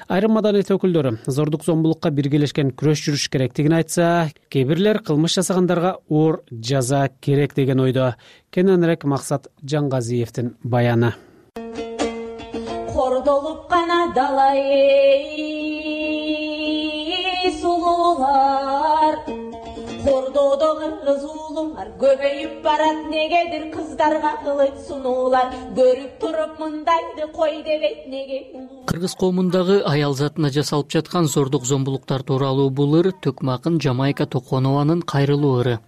Айрым маданият өкүлдөрү зордук зомбулукка биргелешкен күрөш жүрүш керектигин айтса, кээ бирлер кылмыш жасагандарга оор жаза керек деген ойдо. Кененирээк Максат Жаңгазиевдин баяны. Кордолуп гана далай сулуулар, кордоодо кыргыз уулулар көбөйүп барат, негедир кыздарга кылыч сунуулар, көрүп туруп мындайды кой дебейт неге. Кыргыз коомундагы аял затына жасалып жаткан зордук зомбулуктар тууралуу бул ыр Төкмө акын Жамайка Токонованын кайрылуу ыры.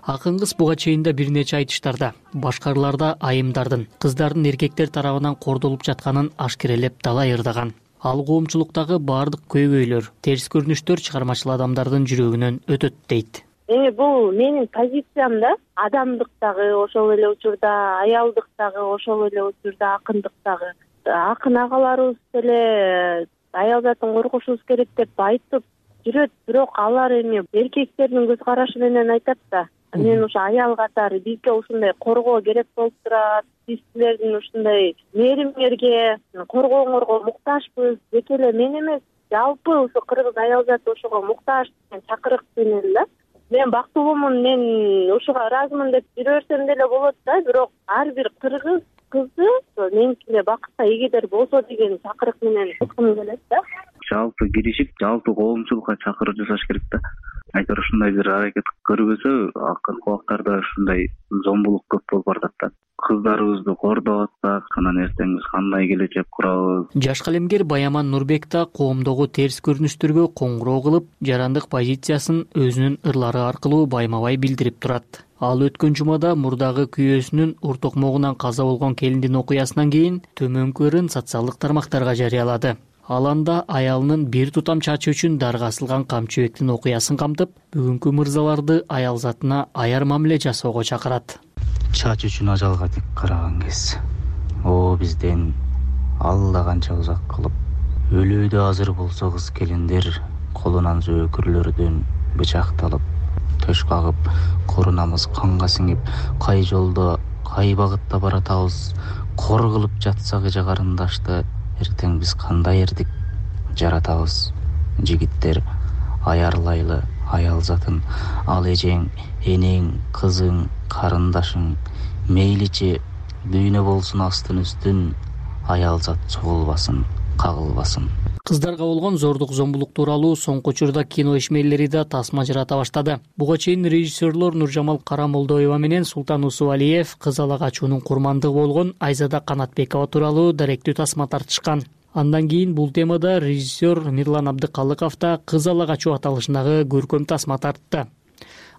Акын кыз буга чейин да бир нече айтыштарда, башкараларда айымдардын, кыздардын эркектер тарабынан кордолуп жатканын ашкерелеп далай ырдаган. Ал коомчулуктагы бардык көйгөйлөр, терс көрүнүштөр чыгармачыл адамдардын жүрөгүнөн өтөт дейт. эми бул менин позициям да, адамдык дагы ошол эле учурда, аялдык дагы ошол эле учурда, акындык дагы. Акын агаларыбыз деле аял затын коргошубуз керек деп айтып жүрөт, бирок алар эми эркектердин көз карашы менен айтат да. Мен ушу аял катары бизге ушундай коргоо керек болуп турат. Биз силердин ушундай мээримиңерге, коргооңорго муктажбыз. Тек эле мен эмес, жалпы ушу кыргыз аял заты ошого муктаж деген чакырык менен да. Мен бактылуумун, мен ушуга ыраазымын деп жүрө берсем деле болот да, бирок ар бир кыргыз кызы меники эле бакытка эгедер болсо деген чакырык менен айткым келет да. Жалпы киришип, жалпы коомчулукка чакыруу жасаш керек да. Айтор ушундай бир аракет көрбөсө, акыркы убактарда ушундай зомбулук көп болуп бардат да. Кыздарыбызды кордоп атсак, анан эртең биз кандай келечек курабыз? Жаш калемгер Баяман Нурбек да коомдогу терс көрүнүштөргө коңгуроо кылып, жарандык позициясын өзүнүн ырлары аркылуу байма-бай билдирип турат. Ал өткөн жумада мурдагы күйөөсүнүн ур токмогунан каза болгон келиндин окуясынан кийин төмөнкү ырын социалдык тармактарга жарыялады. Ал анда аялынын бир тутам чачы үчүн дарга асылган камчыбектин окуясын камтып, бүгүнкү мырзаларды аял затына аяр мамиле жасоого чакырат. Чач үчүн ажалга тик караган кез. О бизден Алла канча узак кылып, өлүүдө азыр болсо кыз келиндер колунан зөөкүрлөрдөн бычакталып, төш кагып, корунамыз канга сиңип, кай жолдо, кай багытта баратабыз, кор кылып жатсак эже карындашты, эртең биз кандай эрдик жаратабыз. Жигиттер аярлайлы аял затын, ал эжең, энең, кызың, карындашың, мейличи дүйнө болсун астын үстүн, аял зат чогулбасын, кагылбасын. Кыздарга болгон зордук зомбулук тууралуу соңку учурда кино ишмерлери да тасма жарата баштады. Буга чейин режиссерлор Нуржамал Карамолдоева менен Султан Усубалиев кыз ала качуунун курмандыгы болгон Айзада Канатбекова тууралуу даректүү тасма тартышкан. Андан кийин бул темада режиссер Мирлан Абдыкалыков да кыз ала качуу аталышындагы көркөм тасма тартты.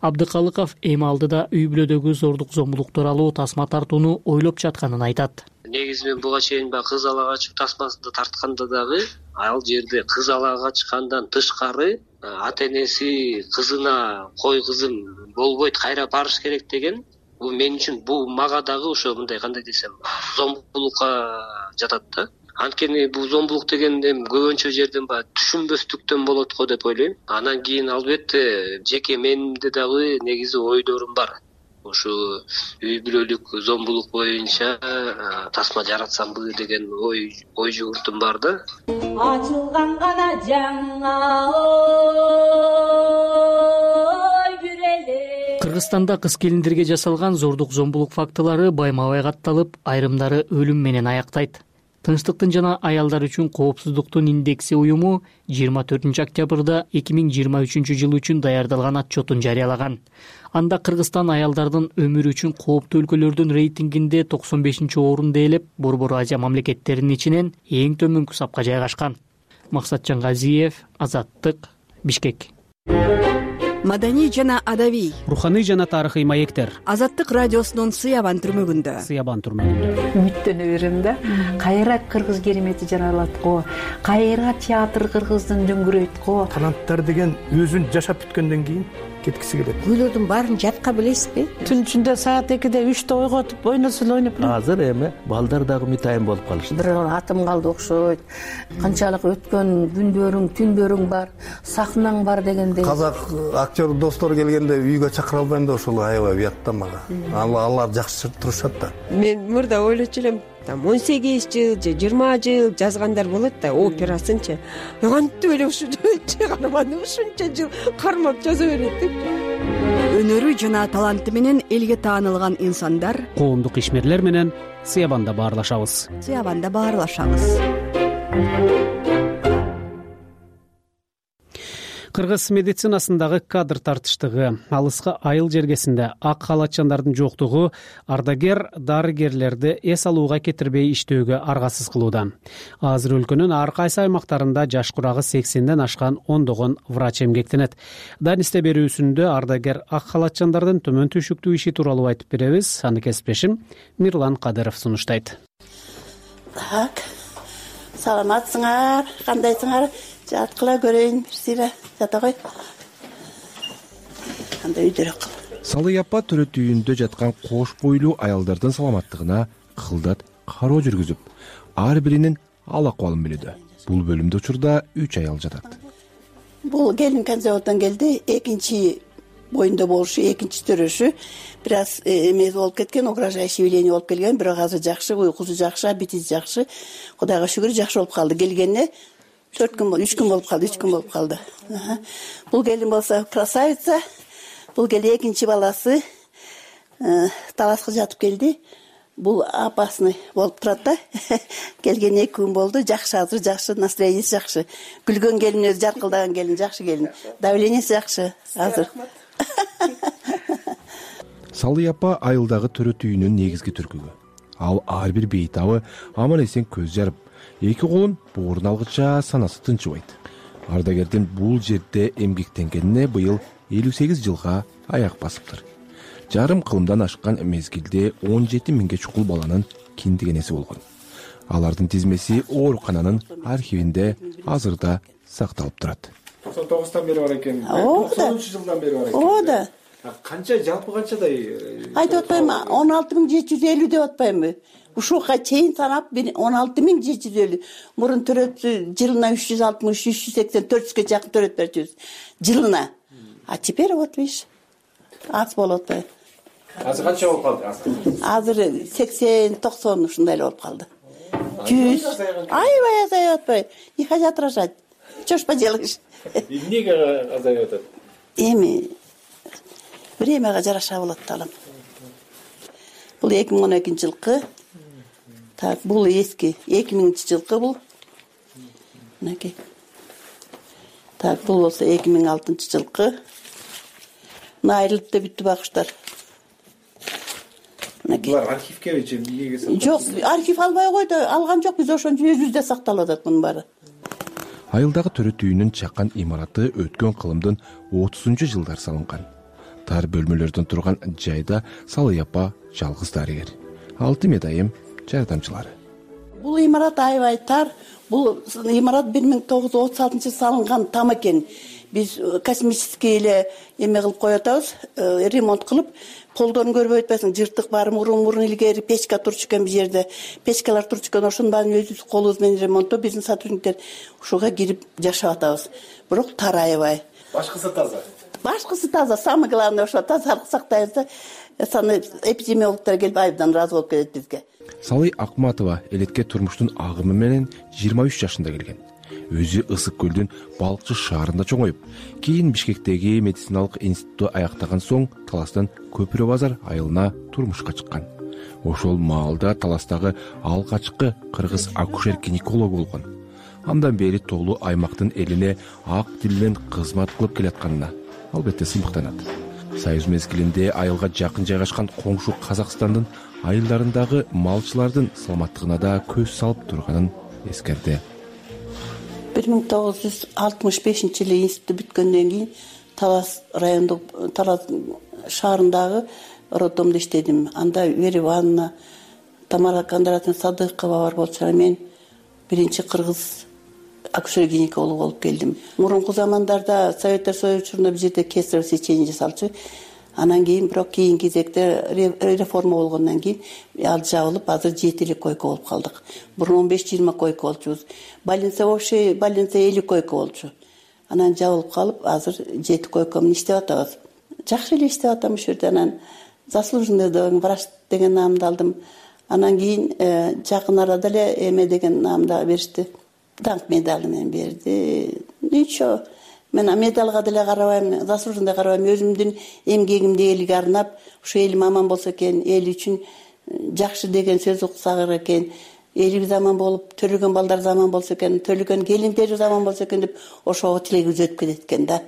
Абдыкалыков эми алдыда үй бүлөдөгү зордук зомбулук тууралуу тасма тартууну ойлоп жатканын айтат. Негизи мен буга чейин баягы кыз ала качуу тасмасында тартканда дагы ал жерде кыз ала качкандан тышкары ата энеси кызына кой кызым болбойт, кайра барыш керек деген, бул мен үчүн, бул мага дагы ошо мындай кандай десем, зомбулукка жатат да. Анткени бул зомбулук деген эми көбүнчө жерден баягы түшүнбөстүктөн болот го деп ойлойм. Анан кийин албетте жеке менимде дагы негизи ойдорум бар. Ушу үй бүлөлүк зомбулук боюнча тасма жаратсамбы деген ой ой жугуртум бар да. Ачылган гана жаңа ой күреле. Кыргызстанда кыз келиндерге жасалган зордук зомбулук фактылары байма-бай катталып, айрымдары өлүм менен аяктайт. Тынчтыктын жана аялдар үчүн коопсуздуктун индекси уюму жыйырма төртүнчү октябрда эки миң жыйырма үчүнчү жыл үчүн даярдалган отчетун жарыялаган. Анда Кыргызстан аялдардын өмүрү үчүн кооптуу өлкөлөрдүн рейтингинде токсон бешинчи орунду ээлеп, Борбор Азия мамлекеттеринин ичинен эң төмөнкү сапка жайгашкан. Максатжан Газиев, Азаттык, Бишкек. Маданий жана адабий, руханий жана тарыхый маектер. Азаттык радиосунун Сыябан түрмөгүндө. Сыябан түрмөгүндө. Үмүттөнө берем да. Кайра кыргыз керемети жаралат го. Кайра театр кыргыздын дөңгүрөйт го. Таланттар деген өзүн жашап бүткөндөн кийин кеткиси келет. Күйлөрдүн баарын жатка билесизби? Түн ичинде саат экиде үчтө ойготуп ойносо эле ойноп элем. Азыр эми балдар дагы мытайын болуп калышты. Бир атым калды окшойт. Канчалык өткөн күндөрүң, түндөрүң бар, сахнаң бар дегендей. Казак актер достор келгенде үйгө чакыра албайм да, ошол аябай уят да мага. Алар жакшы турушат да. Мен мурда ойлочу элем, там он сегиз жыл же жыйырма жыл жазгандар болот да, операсынчы. Кантип эле ушу чыгарманы ушунча жыл кармап жаза берет деп. Өнөрү жана таланты менен элге таанылган инсандар, коомдук ишмерлер менен Сыябанда баарлашабыз. Сыябанда баарлашабыз. Кыргыз медицинасындагы кадр тартыштыгы, алыска айыл жергесинде ак халатчандардын жоктугу ардагер дарыгерлерди эс алууга кетирбей иштөөгө аргасыз кылууда. Азыр өлкөнүн ар кайсы аймактарында жаш курагы сексенден ашкан ондогон врач эмгектенет. Данисте берүүсүндө ардагер ак халатчандардын төмөн түшүктүү иши тууралуу айтып беребиз. Аны кесиптешим Мирлан Кадыров сунуштайт. Так, саламатсыңар, кандайсыңар? Жаткыла көрөйүн бир сыйра жата кой. анда үйдөрөөк кал. Салый апа төрөт үйүндө жаткан кош бойлуу аялдардын саламаттыгына кылдат кароо жүргүзүп, ар биринин ал акыбалын билүүдө. Бул бөлүмдө учурда үч аял жатат. Бул келин Канзаводдон келди, экинчи боюнда болушу, экинчи төрөшү бир аз эмес болуп кеткен, угрожающий явление болуп келген, бирок азыр жакшы, уйкусу жакшы, аппетити жакшы. Кудайга шүгүр жакшы болуп калды. Келгенине төрт күн, үч күн болуп калды, үч күн болуп калды. Бул келин болсо красавица. Бул келин экинчи баласы таласка жатып келди. Бул апасыны болуп турат да. Келген эки күн болду, жакшы, азыр жакшы, настроениясы жакшы. Күлгөн келин, өзү жаркылдаган келин, жакшы келин. Давлениясы жакшы азыр. Салый апа айылдагы төрөт үйүнүн негизги түркүгү. Ал ар бир бейтабы аман эсен көз жарып, эки колун боорун алгыча санасы тынчыбайт. Ардагердин бул жерде эмгектенгенине быйыл элүү сегиз жылга аяк басыптыр. Жарым кылымдан ашкан мезгилде он жети миңге чукул баланын киндигенеси болгон. Алардын тизмеси оорукананын архивинде азырда сакталып турат. токсон тогуздан бери бар экен. токсонунчу жылдан бери бар экен. Ооба да. Канча, жалпы канчадай? Айтып атпаймынбы, он алты миң жети жүз элүү деп атпаймынбы? Ушуга чейин санап он алты миң жети жүз элүү. Мурун төрөт жылына үч жүз алтымыш, үч жүз сексен, төрт жүзгө жакын төрөт берчүбүз. Жылына. А теперь вот видишь, аз болуп атпайбы? Азыр канча болуп калды? Азыр сексен, токсон ушундай эле болуп калды. жүз. Аябай азайып атпайбы? Не хотят рожать. Что ж поделаешь? Эмнеге азайып атат? Эми времяга жараша болот талам. Бул эки миң он экинчи жылкы. Так, бул эски эки миңинчи жылкы бул. Мынакей. Так, бул болсо эки миң алтынчы жылкы. Мына айрылып да бүттү багыштар. Булар архивкебичи эмнеге сакталат? Жок, архив албай койду, алган жок, биз ошончо өзүбүздө сакталып атат мунун баары. Айылдагы төрөт үйүнүн чакан имараты өткөн кылымдын отузунчу жылдар салынган. Тар бөлмөлөрдөн турган жайда Салый апа жалгыз дарыгер. Алты медайым жардамчылары. Бул имарат аябай тар. Бул имарат бир миң тогуз жүз отуз алтынчы салынган там экен. Биз космический эле эме кылып коюп атабыз, ремонт кылып, колдон көрбөй атпайсың, жыртык бар, мурун-мурун илгери печка турчу экен бул жерде. Печкалар турчу экен, ошонун баарын өзүбүз колубуз менен ремонттоп, биздин сотрудниктер ушуга кирип жашап атабыз. Бирок тар аябай. Башкысы таза. Башкысы таза, самое главное ошо тазалык сактайбыз да. Саны эпидемиологдор келип айдан разы болуп кетет бизге. Салый Акматова элекке турмуштун агымы менен жыйырма үч жашында келген. Өзү Ысык көлдүн Балыкчы шаарында чоңоюп, кийин Бишкектеги медициналык институтту аяктаган соң Таластан Көпүрө базар айылына турмушка чыккан. Ошол маалда Таластагы алгачкы кыргыз акушер-гинеколог болгон. Андан бери толуу аймактын элине ак тил менен кызмат кылып келатканына албетте сыймыктанат. Союз мезгилинде айылга жакын жайгашкан коңшу Казакстандын айылдарындагы малчылардын саламаттыгына да көз салып турганын эскерди. бир миң тогуз жүз алтымыш бешинчи жылы институт бүткөндөн кийин Талас райондук, Талас шаарындагы роддомдо иштедим. Анда Вера Ивановна, Тамара Кондратовна Садыкова бар болчу. Мен биринчи кыргыз акушер-гинеколог болуп келдим. Мурунку замандарда Советтер Союзу учурунда бул жерде кесарево сечение жасалчу. Анан кийин бирок кийинки кезекте реформа болгондон кийин ал жабылып, азыр жети эле койка болуп калдык. Мурун он беш жыйырма койка болчубуз. Больница общий, больница элүү койка болчу. Анан жабылып калып, азыр жети койка менен иштеп атабыз. Жакшы эле иштеп атам ушул жерде. Анан заслуженный врач деген наамды алдым. Анан кийин жакын арада эле эме деген наамды беришти. Даңк медали менен берди. Ничего. Мен медалга деле карабайм, заслуженный карабайм, өзүмдүн эмгегимди элге арнап, ушу элим аман болсо экен, эл үчүн жакшы деген сөз уксак экен, элибиз аман болуп, төлөгөн балдар аман болсо экен, төлөгөн келиндерибиз аман болсо экен деп ошого тилегибиз өтүп кетет экен да.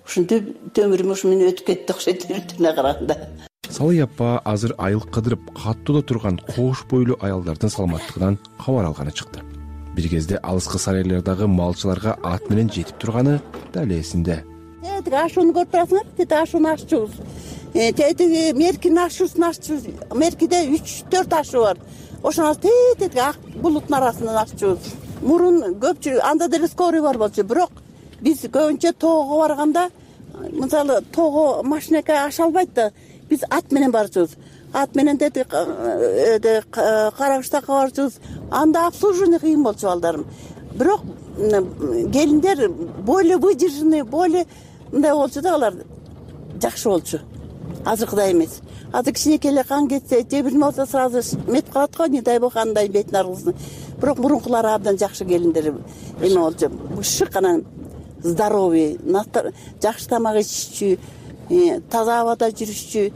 Ушинтип өмүрүм ушу менен өтүп кетти окшойт түрүнө караганда. Салый апа азыр айыл кыдырып каттоодо турган кош бойлуу аялдардын саламаттыгынан кабар алганы чыкты. Бир кезде алыскы сарайлардагы малчыларга ат менен жетип турганы дал эсинде. Тетиги ашууну көрүп турасыңар, тетиги ашууну аччубуз. Тетиги меркинин ашуусун аччубуз. Меркиде үч төрт ашуу бар. Ошону тетиги ак булуттун арасынан аччубуз. Мурун көпчүлүк анда деле скорый бар болчу, бирок биз көбүнчө тоого барганда мисалы тоого машинеке аша албайт да, биз ат менен барчубуз. Ат менен деди Каракыштакка барчубуз. Анда обслуживание кыйын болчу балдарым. Бирок келиндер более выдержанный, более мындай болчу да, алар жакшы болчу. Азыркыдай эмес. Азыр кичинекей эле кан кетсе, же бирме болсо сразу метип калат го, не дай бог андай бетин аргызсын. Бирок мурункулары абдан жакшы келиндер эме болчу. Шык анан здоровый, жакшы тамак иччү, таза абада жүрүшчү.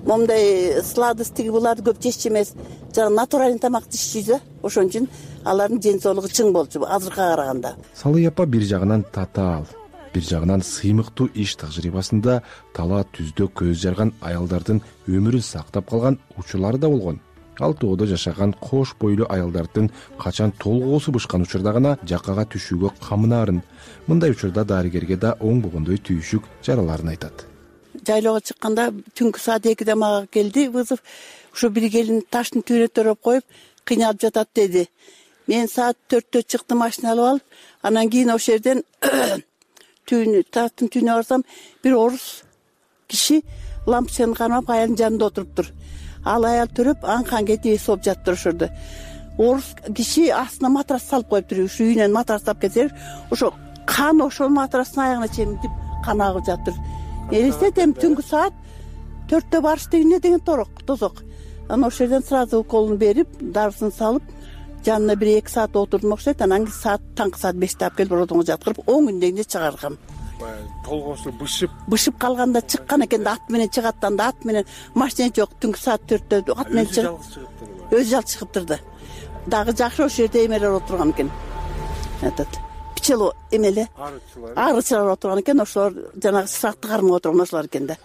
Момундай сладостьтиги буларды көп жешчү эмес, жана натуральный тамак иччү да. Ошон үчүн алардын ден соолугу чың болчу азыркыга караганда. Салый апа бир жагынан татаал, бир жагынан сыймыктуу иш тажрыйбасында тала түздө көз жарган аялдардын өмүрүн сактап калган учурлары да болгон. Ал тоодо жашаган кош бойлуу аялдардын качан толгоосу бышкан учурда гана жаккага түшүүгө камынаарын, мындай учурда дарыгерге да оңбогондой түйүшүк жараларын айтат. Жайлоого чыкканда түнкү саат экиде мага келди вызов. Ушу бир келин таштын түбүнө төрөп коюп кыйналып жатат деди. Мен саат төрттө чыктым, машина алып алып, анан кийин ошол жерден түбүнө, таштын түбүнө барсам, бир орус киши лампочканы кармап аялдын жанында отуруптур. Ал аял төрөп анкан кетип эс болуп жатыптыр ошол жерде. Орус киши астына матрас салып коюптур. Ушу үйүнөн матрас тап кетсе, ошо кан ошол матрастын аягына чейин тип кан агып жатыр. Элестетем, түнкү саат төрттө барыш деген эмне деген торок, тозок. Анан ошол жерден сразу уколун берип, дарысын салып, жанына бир эки саат отурдум окшойт. Анан саат таңкы саат беште алып келип роддомго жаткырып, он күн дегенде чыгаргам. Толгоосу бышып бышып калганда чыккан экен да, ат менен чыгат да, ат менен машина жок, түнкү саат төрттө ат менен чыгып, өзү жалгыз чыгыптыр да. Дагы жакшы ошол жерде эмелер отурган экен. Этот пчело эмеле арычылар отурган экен, ошолор жанагы сакты кармап отурган ошолор экен да.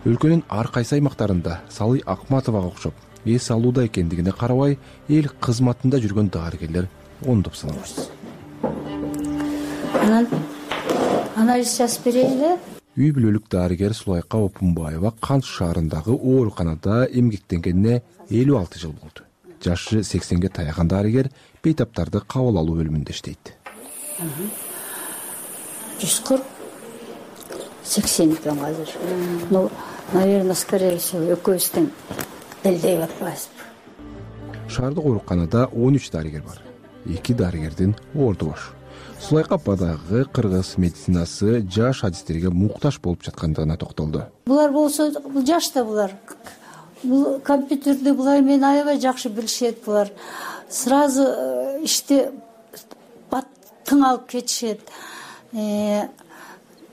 Өлкөнүн ар кайсы аймактарында Салый Акматовага окшоп эс алууда экендигине карабай, эл кызматында жүргөн дарыгерлер ондоп саналат. Анан анализ жазып берейин эле. Үй бүлөлүк дарыгер Сулайка Опунбаева Кант шаарындагы ооруканада эмгектенгенине элүү алты жыл болду. Жашы сексенге таяган дарыгер бейтаптарды кабыл алуу бөлүмүндө иштейт. жүз кырк сексен экен азыр. Ну, наверное, скорее всего, экөөбүздүн элдей батпайбызбы. Шаардык ооруканада он үч дарыгер бар. эки дарыгердин орду бош. Сулайка ападагы кыргыз медицинасы жаш адистерге муктаж болуп жаткандыгына токтолду. Булар болсо, бул жашта булар. Бул компьютерди булар менен аябай жакшы билишет булар. Сразу ишти тың алып кетишет.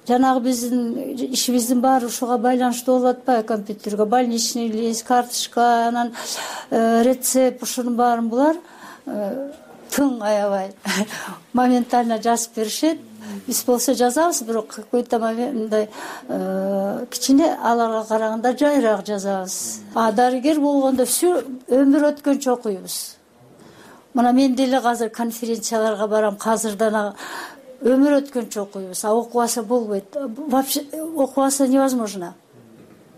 Жанагы биздин ишибиздин баары ушуга байланыштуу болуп атпайбы, компьютерге, больничный лист, карточка, анан рецепт, ушунун баарын булар тың аябай моментально жазып беришет. Биз болсо жазабыз, бирок какой-то моменттай кичине аларга караганда жайыраак жазабыз. А дарыгер болгондо всю өмүр өткөнчө окуйбуз. Мына мен деле азыр конференцияларга барам, азырдан өмүр өткөнчө окуйбуз. А окубаса болбойт. Вообще окубаса невозможно.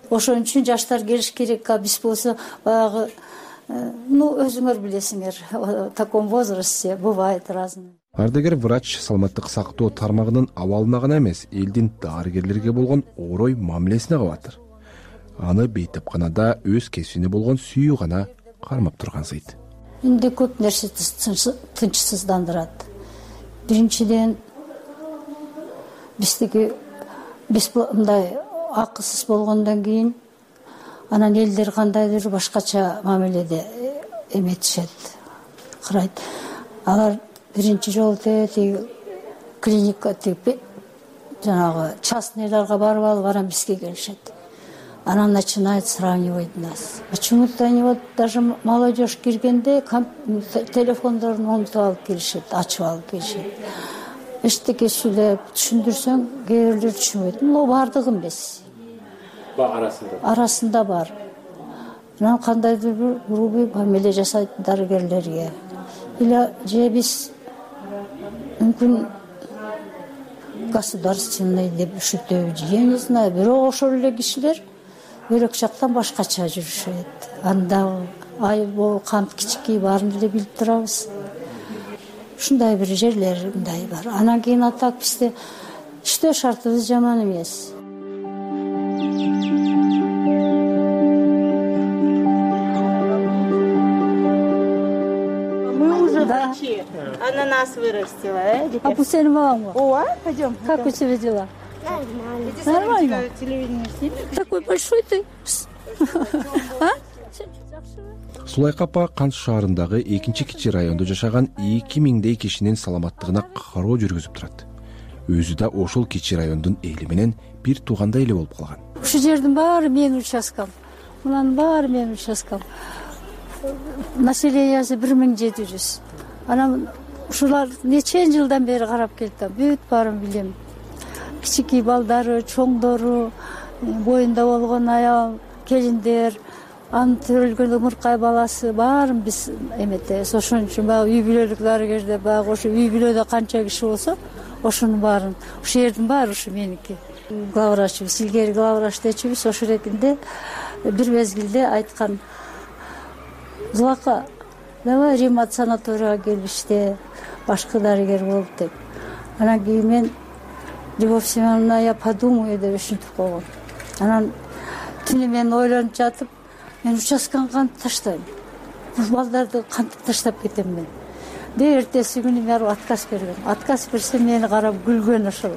Ошон үчүн жаштар келиш керек. А биз болсо баягы, ну, өзүңөр билесиңер, в таком возрасте бывает разное. Ардагер врач саламаттык сактоо тармагынын абалына гана эмес, элдин дарыгерлерге болгон орой мамилесине кабатыр. Аны бейтапканада өз кесибине болгон сүйүү гана кармап тургансыйт. Энди көп нерсе тынчсыздандырат. Биринчиден биздики биз мындай акысыз болгондон кийин анан элдер кандайдыр башкача мамиледе эметишет, карайт. Алар биринчи жолу тиги клиника тиги жанагы частныйларга барып алып анан бизге келишет. Анан начинает сравнивать нас. Почему-то они вот даже молодежь киргенде телефондорун унутуп алып келишет, ачып алып келишет. Эчтеке сүйлөп түшүндүрсөң, кээ бирлер түшүнбөйт. Ну, бардыгы эмес. Арасында. Арасында бар. Анан кандайдыр бир грубый мамиле жасайт дарыгерлерге. Или же биз мүмкүн государственный деп üşүтөбү, я не знаю, бирок ошол эле кишилер бөлөк жактан башкача жүрүшөт. Анда айбоо, кант кичикей баарын эле билип турабыз. Ушундай бир жерлер мындай бар. Анан кийин атак бизде иштөө шартыбыз жаман эмес. Да. Ананас вырастила, э? А бул сенин бабаңбы? Ооба, пойдем. Как у тебя дела? Нормально. Телевидение снимешь? Такой большой ты. Сулайка апа Кант шаарындагы экинчи кичи райондо жашаган эки миңдей кишинин саламаттыгына кароо жүргүзүп турат. Өзү да ошол кичи райондун эли менен бир туугандай эле болуп калган. Ушул жердин баары менин участкам. Мунун баары менин участкам. Населениясы бир миң жети жүз. Анан ушулар нече жылдан бери карап келатам. Бүт баарын билем. Кичикей балдары, чоңдору, боюнда болгон аял, келиндер, анын төрөлгөн ымыркай баласы баарын биз эметебиз. Ошон үчүн баягы үй бүлөлүк дарыгерде баягы ошо үй бүлөдө канча киши болсо, ошонун баарын, ушул жердин баары ушу меники. Главврачыбыз, илгери главврач дечүбүз, ошол эркинде бир мезгилде айткан: "Зулака, давай ремонт санаторияга келип иште, башкы дарыгер болуп" деп. Анан кийин мен: "Любовь Семеновна, я подумаю" деп ушинтип койгом. Анан түнү мен ойлонуп жатып, мен участканы кантип таштайм? Бул балдарды кантип таштап кетем мен? Деп эртеси күнү мен отказ берген. Отказ берсем мени карап күлгөн ошол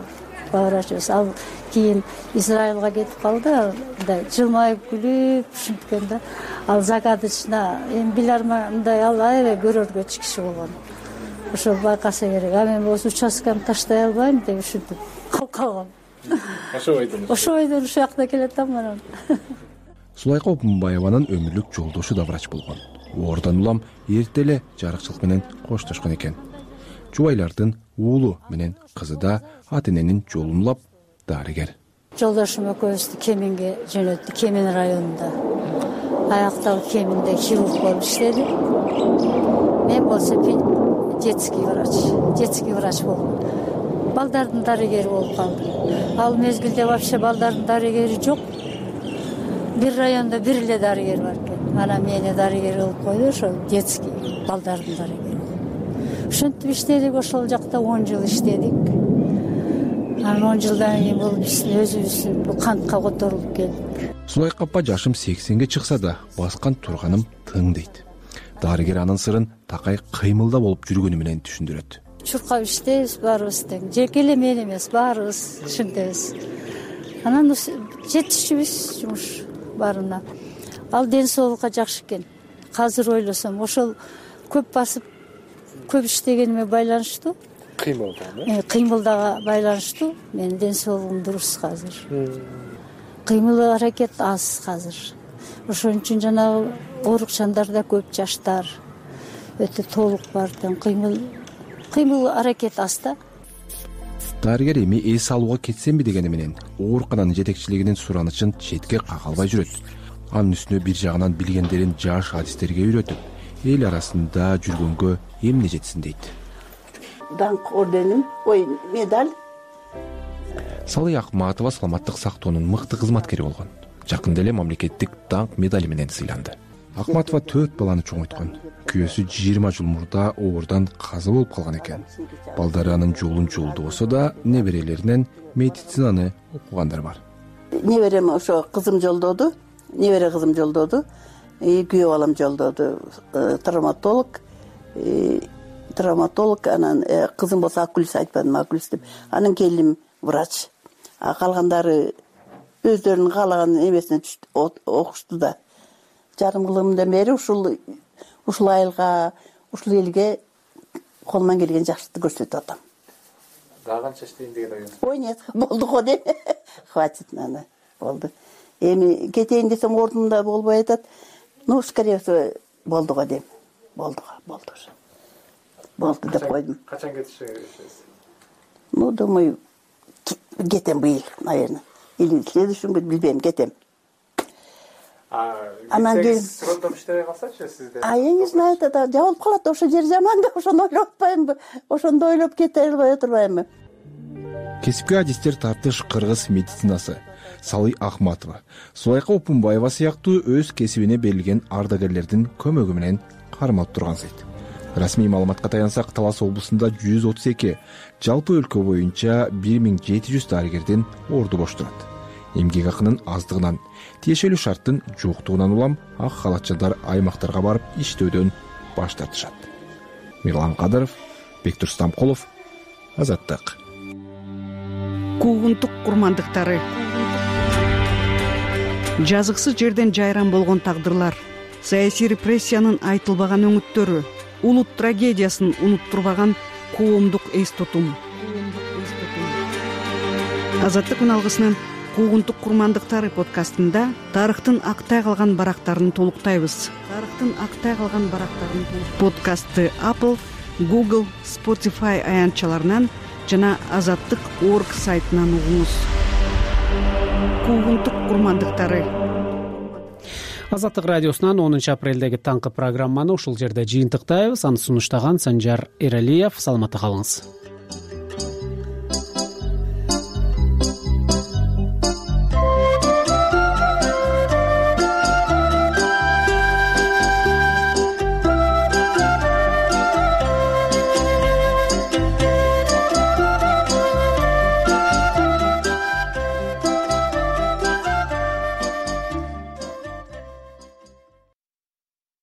главврачыбыз. Ал кийин Израилга кетип калды, мындай жылмайып күлүп ушинткен да. Ал загадочно эми биларма мындай ал аябай көрөргөч киши болгон. Ошол байкаса керек. А мен болсо участкамды таштай албайм деп ушинтип калгам. Ошо ойдон. Ошо ойдон ушул жакта келатам анан. Сулайка Опунбаеванын өмүрлүк жолдошу да врач болгон. Ордон улам эрте эле жарыкчылык менен коштошкон экен. Жубайлардын уулу менен кызы да ата эненин жолун улап дарыгер. Жолдошум экөөбүздү Кеминге жөнөттү, Кемин районунда. Аякталып Кеминде хирург болуп иштеди. Мен болсо детский врач, детский врач болдум. Балдардын дарыгери болуп калдым. Ал мезгилде вообще балдардын дарыгери жок. Бир райондо бир эле дарыгер бар экен. Анан мени дарыгер кылып койду, ошол детский балдардын дарыгери. Ушинтип иштедик, ошол жакта он жыл иштедик. Анан он жылдан кийин бул биздин өзүбүздүн бул кантка которулуп келдик. Сулайка апа жашым сексенге чыкса да, баскан турганым тың дейт. Дарыгер анын сырын такай кыймылда болуп жүргөнү менен түшүндүрөт. Чуркап иштейбиз баарыбыз тең. Жеке эле мен эмес, баарыбыз ушинтебиз. Анан жетишчүбүз жумуш баарына. Ал ден соолукка жакшы экен. Азыр ойлосом, ошол көп басып, көп иштегениме байланыштуу. Кыймылдагы? Кыймылдага байланыштуу. Менин ден соолугум дурус азыр. Кыймыл аракет аз азыр. Ошон үчүн жанагы оорукчандарда көп жаштар өтө толук бар тең. Кыймыл кыймыл аракет аз да. Дарыгер эми эс алууга кетсемби дегени менен оорукананын жетекчилигинин суранычын четке кага албай жүрөт. Анын үстүнө бир жагынан билгендерин жаш адистерге үйрөтүп, эл арасында жүргөнгө эмне жетсин дейт. Даңк орденим, ой, медаль. Салый Акматова саламаттык сактоонун мыкты кызматкери болгон. Жакында эле мамлекеттик даңк медали менен сыйланды. Акматова төрт баланы чоңойткон. Күйөөсү жыйырма жыл мурда оордан каза болуп калган экен. Балдары анын жолун жолдобосо да, неберелеринен медицинаны окугандар бар. Неберем ошо кызым жолдоду, небере кызым жолдоду, күйөө балам жолдоду. Травматолог, травматолог, анан кызым болсо окулист, айтпадым окулист деп. Анын келиним врач. А калгандары өздөрүнүн каалаган эмесине окушту да. Жарым кылымдан бери ушул ушул айылга, ушул элге колуман келген жакшылыкты көрсөтүп атам. Дагы канча иштейин деген оюңуз? Ой, нет, болду го деп. Хватит, ана, болду. Эми кетейин десем ордумда болбой атат. Ну, скорее всего, болду го дейм. Болду го, болду уже. Болду деп койдум. Качан кетишиңиз келишесиз? Ну, думаю, кетем быйыл, наверное. Или следующий год, билбейм, кетем. Анан кийин срокдоп иштебей калсачы сизде? А я не знаю, да, жабылып калат, ошо жер жаман да, ошону ойлоп атпаймынбы, ошондо ойлоп кете албай отурбаймынбы. Кесипкөй адистер тартыш кыргыз медицинасы. Салый Акматова, Сулайка Опунбаева сыяктуу өз кесибине берилген ардагерлердин көмөгү менен кармалып турган сайт. Расмий маалыматка таянсак, Талас облусунда жүз отуз эки, жалпы өлкө боюнча бир миң жети жүз дарыгердин орду бош турат. Эмгек акынын аздыгынан, тиешелүү шарттын жоктугунан улам ак халатчылар аймактарга барып иштөөдөн баш тартышат. Мирлан Кадыров, Бектур Стамкулов, Азаттык. Куугунтук курмандыктары. Жазыксыз жерден жайран болгон тагдырлар, саясий репрессиянын айтылбаган өңүттөрү, улут трагедиясын унуттурбаган коомдук эс тутум. Азаттык күн алгысынын Куугунтук курмандыктары подкастында тарыхтын актай калган барактарын толуктайбыз. Тарыхтын актай калган барактарын подкастты Apple, Google, Spotify аянтчаларынан жана азаттык точка орг сайтынан угуңуз. Куугунтук курмандыктары. Азаттык радиосунан онунчу апрелдеги таңкы программаны ушул жерде жыйынтыктайбыз. Аны сунуштаган Санжар Эралиев. Саламатта калыңыз.